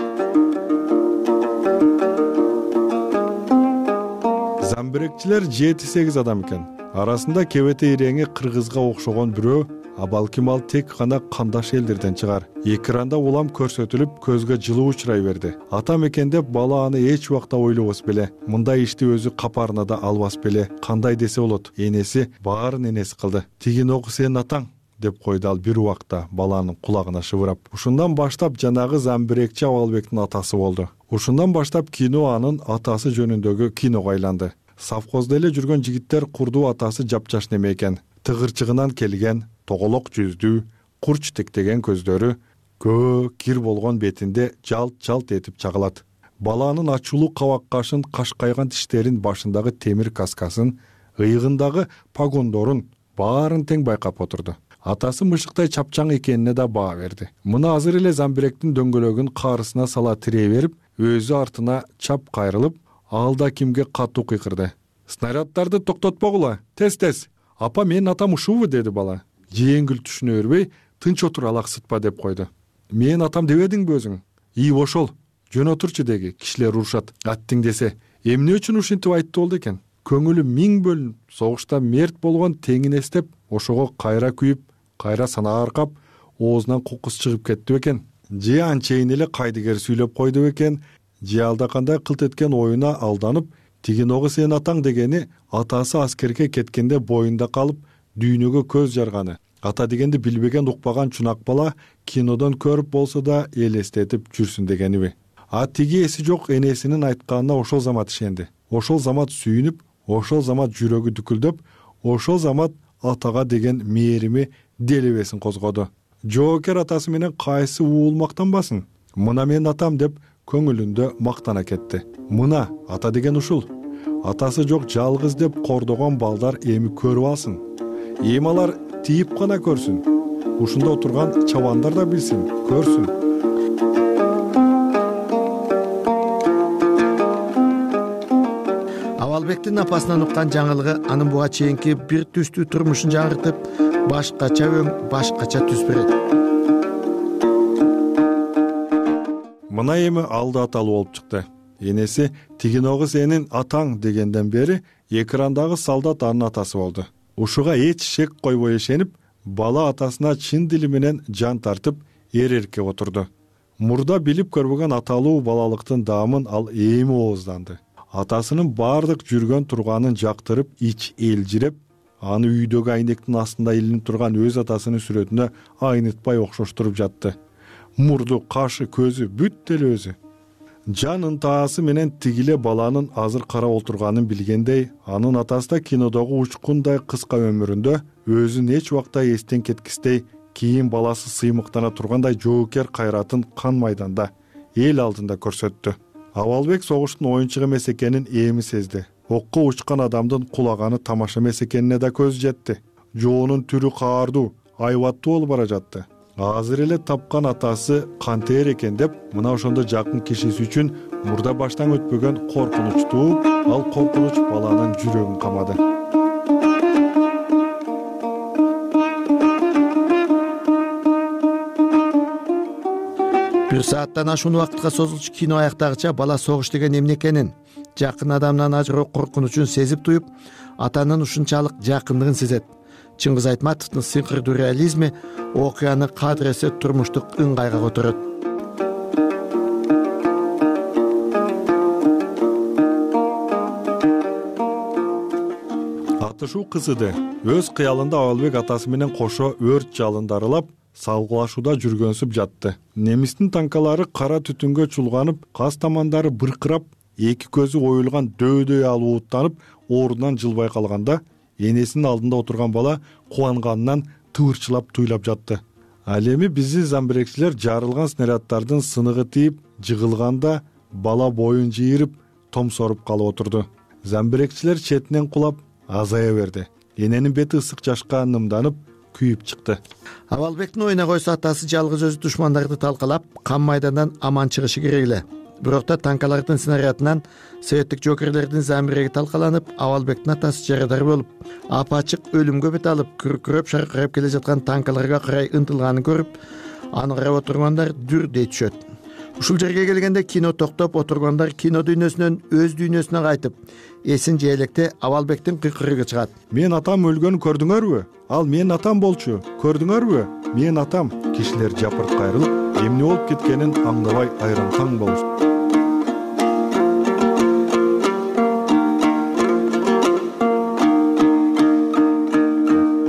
Замбирекчилер жети сегиз адам экен. Арасында кебете иреңи кыргызга окшогон бирөө, а балким ал тек гана кандаш элдерден чыгар. Экранда улам көрсөтүлүп, көзгө жылуу учурай берди. Атам экен деп бала аны эч убакта ойлобос беле. Мындай ишти өзү капарына да албас беле. Кандай десе болот? Энеси баарын энеси кылды. Тигиногу сенин атаң деп койду ал бир убакта баланын кулагына шыбырап. Ушундан баштап жанагы Замбирекчи Абалбектин атасы болду. Ушундан баштап кино анын атасы жөнүндөгү киного айланды. Совхоздо эле жүргөн жигиттер курдуу атасы жапжаш неме экен. Тыгырчыгынан келген, тоголок жүздүү, курч тектеген көздөрү, көө кир болгон бетинде жалт-жалт этип чагылат. Баланын ачуулуу кабак кашын, кашкайган тиштерин, башындагы темир каскасын, ыйыгындагы погондорун баарын тең байкап отурду. Атасы мышыктай чапчаң экенине да баа берди. Мына азыр эле Замбиректин дөңгөлөгүн каарысына сала тирей берип, өзү артына чап кайрылып, алда кимге катуу кыйкырды. "Снаряддарды токтотпогула, тез-тез. Апа, менин атам ушубу?" деди бала. Жеңил түшүнө бербей, "Тынч отур, алаксытпа" деп койду. "Менин атам дебедиңби өзүң? И ошол. Жөн отурчу" деги. Кишилер урушат. Аттиң десе, эмне үчүн ушинтип айтты болду экен? Көңүлү миң бөлүнүп, согушта мерт болгон теңин эстеп, ошого кайра күйүп, кайра санааркап, оозунан кокус чыгып кетти экен. Же анчейин эле кайдыгер сүйлөп койду экен, же алдакандай кылт эткен оюна алданып, тигиногу сенин атаң дегени атасы аскерге кеткенде боюнда калып, дүйнөгө көз жарганы. Ата дегенди билбеген, укпаган чунак бала кинодон көрүп болсо да элестетип жүрсүн дегениби? А тиги эси жок энесинин айтканына ошол замат ишенди. Ошол замат сүйүнүп, ошол замат жүрөгү дүкүлдөп, ошол замат атага деген мээрими делебесин козгоду. Жоокер атасы менен кайсы уул мактанбасын? Мына менин атам деп көңүлүндө мактана кетти. Мына ата деген ушул. Атасы жок жалгыз деп кордогон балдар эми көрүп алсын. Эми алар тийип гана көрсүн. Ушунда отурган чабандар да билсин, көрсүн. Абалбектин апасынан уккан жаңылыгы анын буга чейинки бир түстүү турмушун жаңыртып, башкача өң, башкача түс берет. Мына эми алды аталуу болуп чыкты. Энеси "Тигиногу сенин атаң" дегенден бери экрандагы солдат анын атасы болду. Ушуга эч шек койбой ишенип, бала атасына чын дили менен жан тартып, эр-эркеп отурду. Мурда билип көрбөгөн аталуу балалыктын даамын ал эми оозданды. Атасынын бардык жүргөн турганын жактырып, ич элжиреп, аны үйдөгү айнектин астында илинип турган өз атасынын сүрөтүнө айнытпай окшоштуруп жатты. Мурду, кашы, көзү бүт эле өзү. Жан ынтаасы менен тигиле баланын азыр карап отурганын билгендей, анын атасы да кинодогу учкундай кыска өмүрүндө өзүн эч убакта эстен кеткистей кийин баласы сыймыктана тургандай жоокер кайратын кан майданда эл алдында көрсөттү. Абалбек согуштун оюнчук эмес экенин эми сезди. Окко учкан адамдын кулаганы тамаша эмес экенине да көзү жетти. Жоонун түрү каардуу, айбаттуу болуп бара жатты. Азыр эле тапкан атасы кантер экен деп мына ошондо жакын кишиси үчүн мурда баштан өтпөгөн коркунуч тууп, ал коркунуч баланын жүрөгүн камады. Бир сааттан ашуун убакытка созулчу кино аяктагыча бала согуш деген эмне экенин, жакын адамдан ажыроо коркунучун сезип туюп, атанын ушунчалык жакындыгын сезет. Чыңгыз Айтматовдун сыйкырдуу реализми окуяны кадыресе турмуштук ыңгайга которот. Атышуу кызыды. Өз кыялында Абалбек атасы менен кошо өрт жалынды аралап, салгылашууда жүргөнсүп жатты. Немистин танкалары кара түтүнгө чулганып, каз тамандары быркырап, эки көзү оюлган дөйдөй алып ууттанып, ордунан жылбай калганда, энесинин алдында отурган бала кубанганынан тыырчылап туйлап жатты. Ал эми бизи замбирекчилер жарылган снаряддардын сыныгы тийип, жыгылганда бала боюн жыйырып, томсоруп калып отурду. Замбирекчилер четинен кулап азая берди. Эненин бети ысык жашка нымданып, күйүп чыкты. Абалбектин оюна койсо атасы жалгыз өзү душмандарды талкалап, кан майдандан аман чыгышы керек эле. Бирок да танкалардын снарядынан советтик жоокерлердин замиреги талкаланып, Абалбектин атасы жарадар болуп, апачык өлүмгө бет алып, күркүрөп шаркырап келе жаткан танкаларга карай ынтылганын көрүп, аны карап отургандар дүр дей түшөт. Ушул жерге келгенде кино токтоп, отургандар кино дүйнөсүнөн өз дүйнөсүнө кайтып, эсин жей электе Абалбектин кыйкырыгы чыгат. Мен атам өлгөнүн көрдүңөрбү? Ал менин атам болчу. Көрдүңөрбү? Менин атам. Кишилер жапырт кайрылып, эмне болуп кеткенин аңдабай айран таң болушту.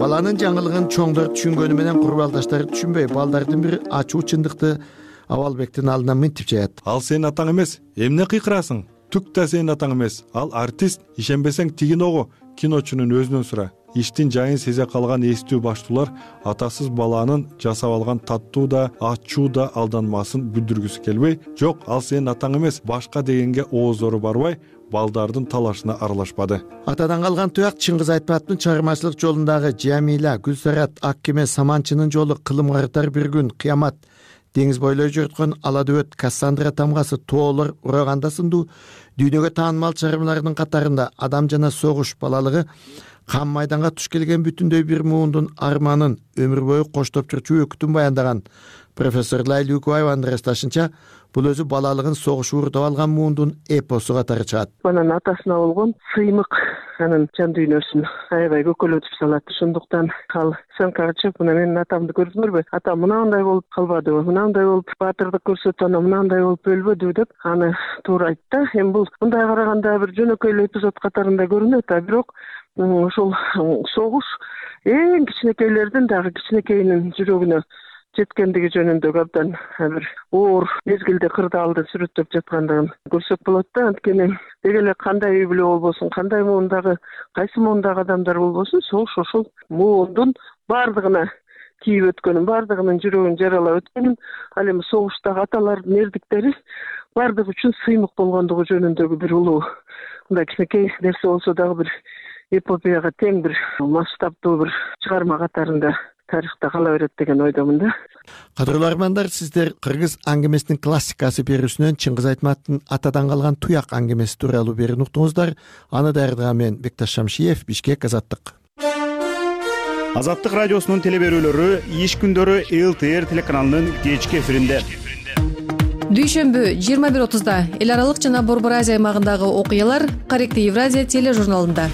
Баланын жаңылыгын чоңдор түшүнгөнү менен курбалдаштары түшүнбөй, балдардын бири ачуу чындыкты Абалбектин алдына мынтип жаят. Ал сенин атаң эмес. Эмне кыйкырасың? Түк да сенин атаң эмес. Ал артист. Ишенбесең тигин ого, киночунун өзүнөн сура. Иштин жайын сезе калган эстүү баштуулар атасыз баланын жасап алган таттуу да, ачуу да алданмасын бүлдүргүсү келбей, жок, ал сенин атаң эмес, башка дегенге ооздору барбай, балдардын талашына аралашпады. Атадан калган туяк Чыңгыз Айтматовдун чыгармачылык жолундагы Жамила, Гүлсарат, Ак кеме, Саманчынын жолу, Кылым карытар бир күн, Кыямат, деңиз бойлой жөрткөн Ала дөбөт, Кассандра тамгасы, Тоолор, Ураганда сындуу дүйнөгө таанымал чыгармалардын катарында Адам жана согуш балалыгы, Кан майданга туш келген бүтүндөй бир муундун арманын, өмүр бою коштоп жүрчү өкүтүн баяндаган профессор Лайла Үкүбаеванын ырасташынча, бул өзү балалыгын согуш уурдап алган муундун эпосу катары чыгат. Анан атасына болгон сыймык анын жан дүйнөсүн аябай көкөлөтүп салат. Ошондуктан ал сөмкага чыгып, мына менин атамды көрдүңөрбү? Атам мынандай болуп калбадыбы? Мынандай болуп баатырдык көрсөтүп, анан мынандай болуп өлбөдүбү деп аны туура айтты. Эми бул мындай караганда бир жөнөкөй эле эпизод катарында көрүнөт, а бирок ушул согуш эң кичинекейлердин дагы кичинекейинин жүрөгүнө жеткендиги жөнүндө абдан бир оор мезгилде кырдаалды сүрөттөп жаткандыгын көрсөк болот да. Анткени деги эле кандай үй бүлө болбосун, кандай муундагы, кайсы муундагы адамдар болбосун, согуш ошол муундун баардыгына тийип өткөнүн, баардыгынын жүрөгүн жаралап өткөнүн, ал эми согуштагы аталардын эрдиктери баардыгы үчүн сыймык болгондугу жөнүндөгү бир улуу мындай кичинекей нерсе болсо дагы бир эпопеяга тең бир масштабтуу бир чыгарма катарында тарыхта кала берет деген ойдомун да. Кадырлуу армандар, сиздер кыргыз аңгемесинин классикасы берүүсүнөн Чыңгыз Айтматовдун атадан калган туяк аңгемеси тууралуу берүүнү уктуңуздар. Аны даярдаган мен Бекташ Шамшиев, Бишкек, Азаттык. Азаттык радиосунун теле берүүлөрү иш күндөрү эл тэ эр телеканалынын кечки эфиринде. Дүйшөмбү жыйырма бир отузда эл аралык жана Борбор Азия аймагындагы окуялар Каректи Евразия тележурналында.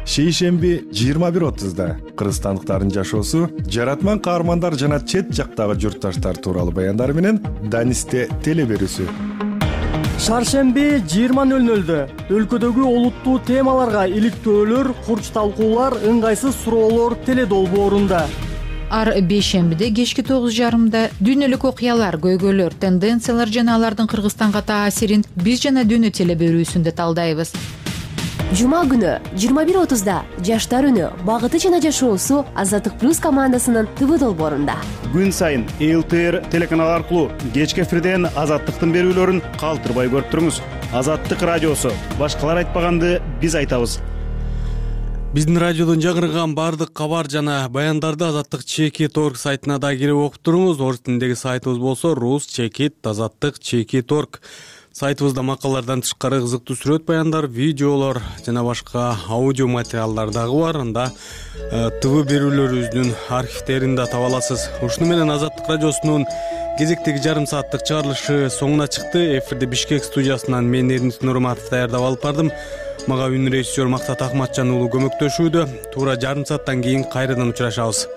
Шейшемби жыйырма бир отузда кыргызстандыктардын жашоосу, жаратман каармандар жана чет жактагы журтташтар тууралуу баяндар менен Данисте теле берүүсү. Шаршемби жыйырма нөл нөлдө өлкөдөгү олуттуу темаларга иликтөөлөр, курч талкуулар, ыңгайсыз суроолор теле долбоорунда. Ар бейшембиде кечки тогуз жарымда дүйнөлүк окуялар, көйгөйлөр, тенденциялар жана алардын Кыргызстанга таасирин биз жана дүйнө теле берүүсүндө талдайбыз. жума күнү жыйырма бир отузда жаштар үнү багыты жана жашоосу Азаттык плюс командасынын ТВ долбоорунда. Күн сайын Эл Т Р телеканалы аркылуу кечки эфирден Азаттыктын берүүлөрүн калтырбай көрүп туруңуз. Азаттык радиосу. Башкалар айтпаганды биз айтабыз. Биздин радиодон жаңырган баардык кабар жана баяндарды Азаттык чекит орг сайтына да кирип окуп туруңуз. Орус тилиндеги сайтыбыз болсо рус чекит азаттык чекит орг. Сайтыбызда макалалардан тышкары кызыктуу сүрөт баяндар, видеолор жана башка аудио материалдар дагы бар. Анда ТВ берүүлөрүбүздүн архивтерин да таба аласыз. Ушуну менен Азаттык радиосунун кезектеги жарым сааттык чыгарылышы соңуна чыкты. Эфирде Бишкек студиясынан мен Эрнис Нурматов даярдап алып бардым. Мага үн режиссер Мактат Акматжан уулу көмөктөшүүдө. Туура жарым сааттан кийин кайрадан учурашабыз.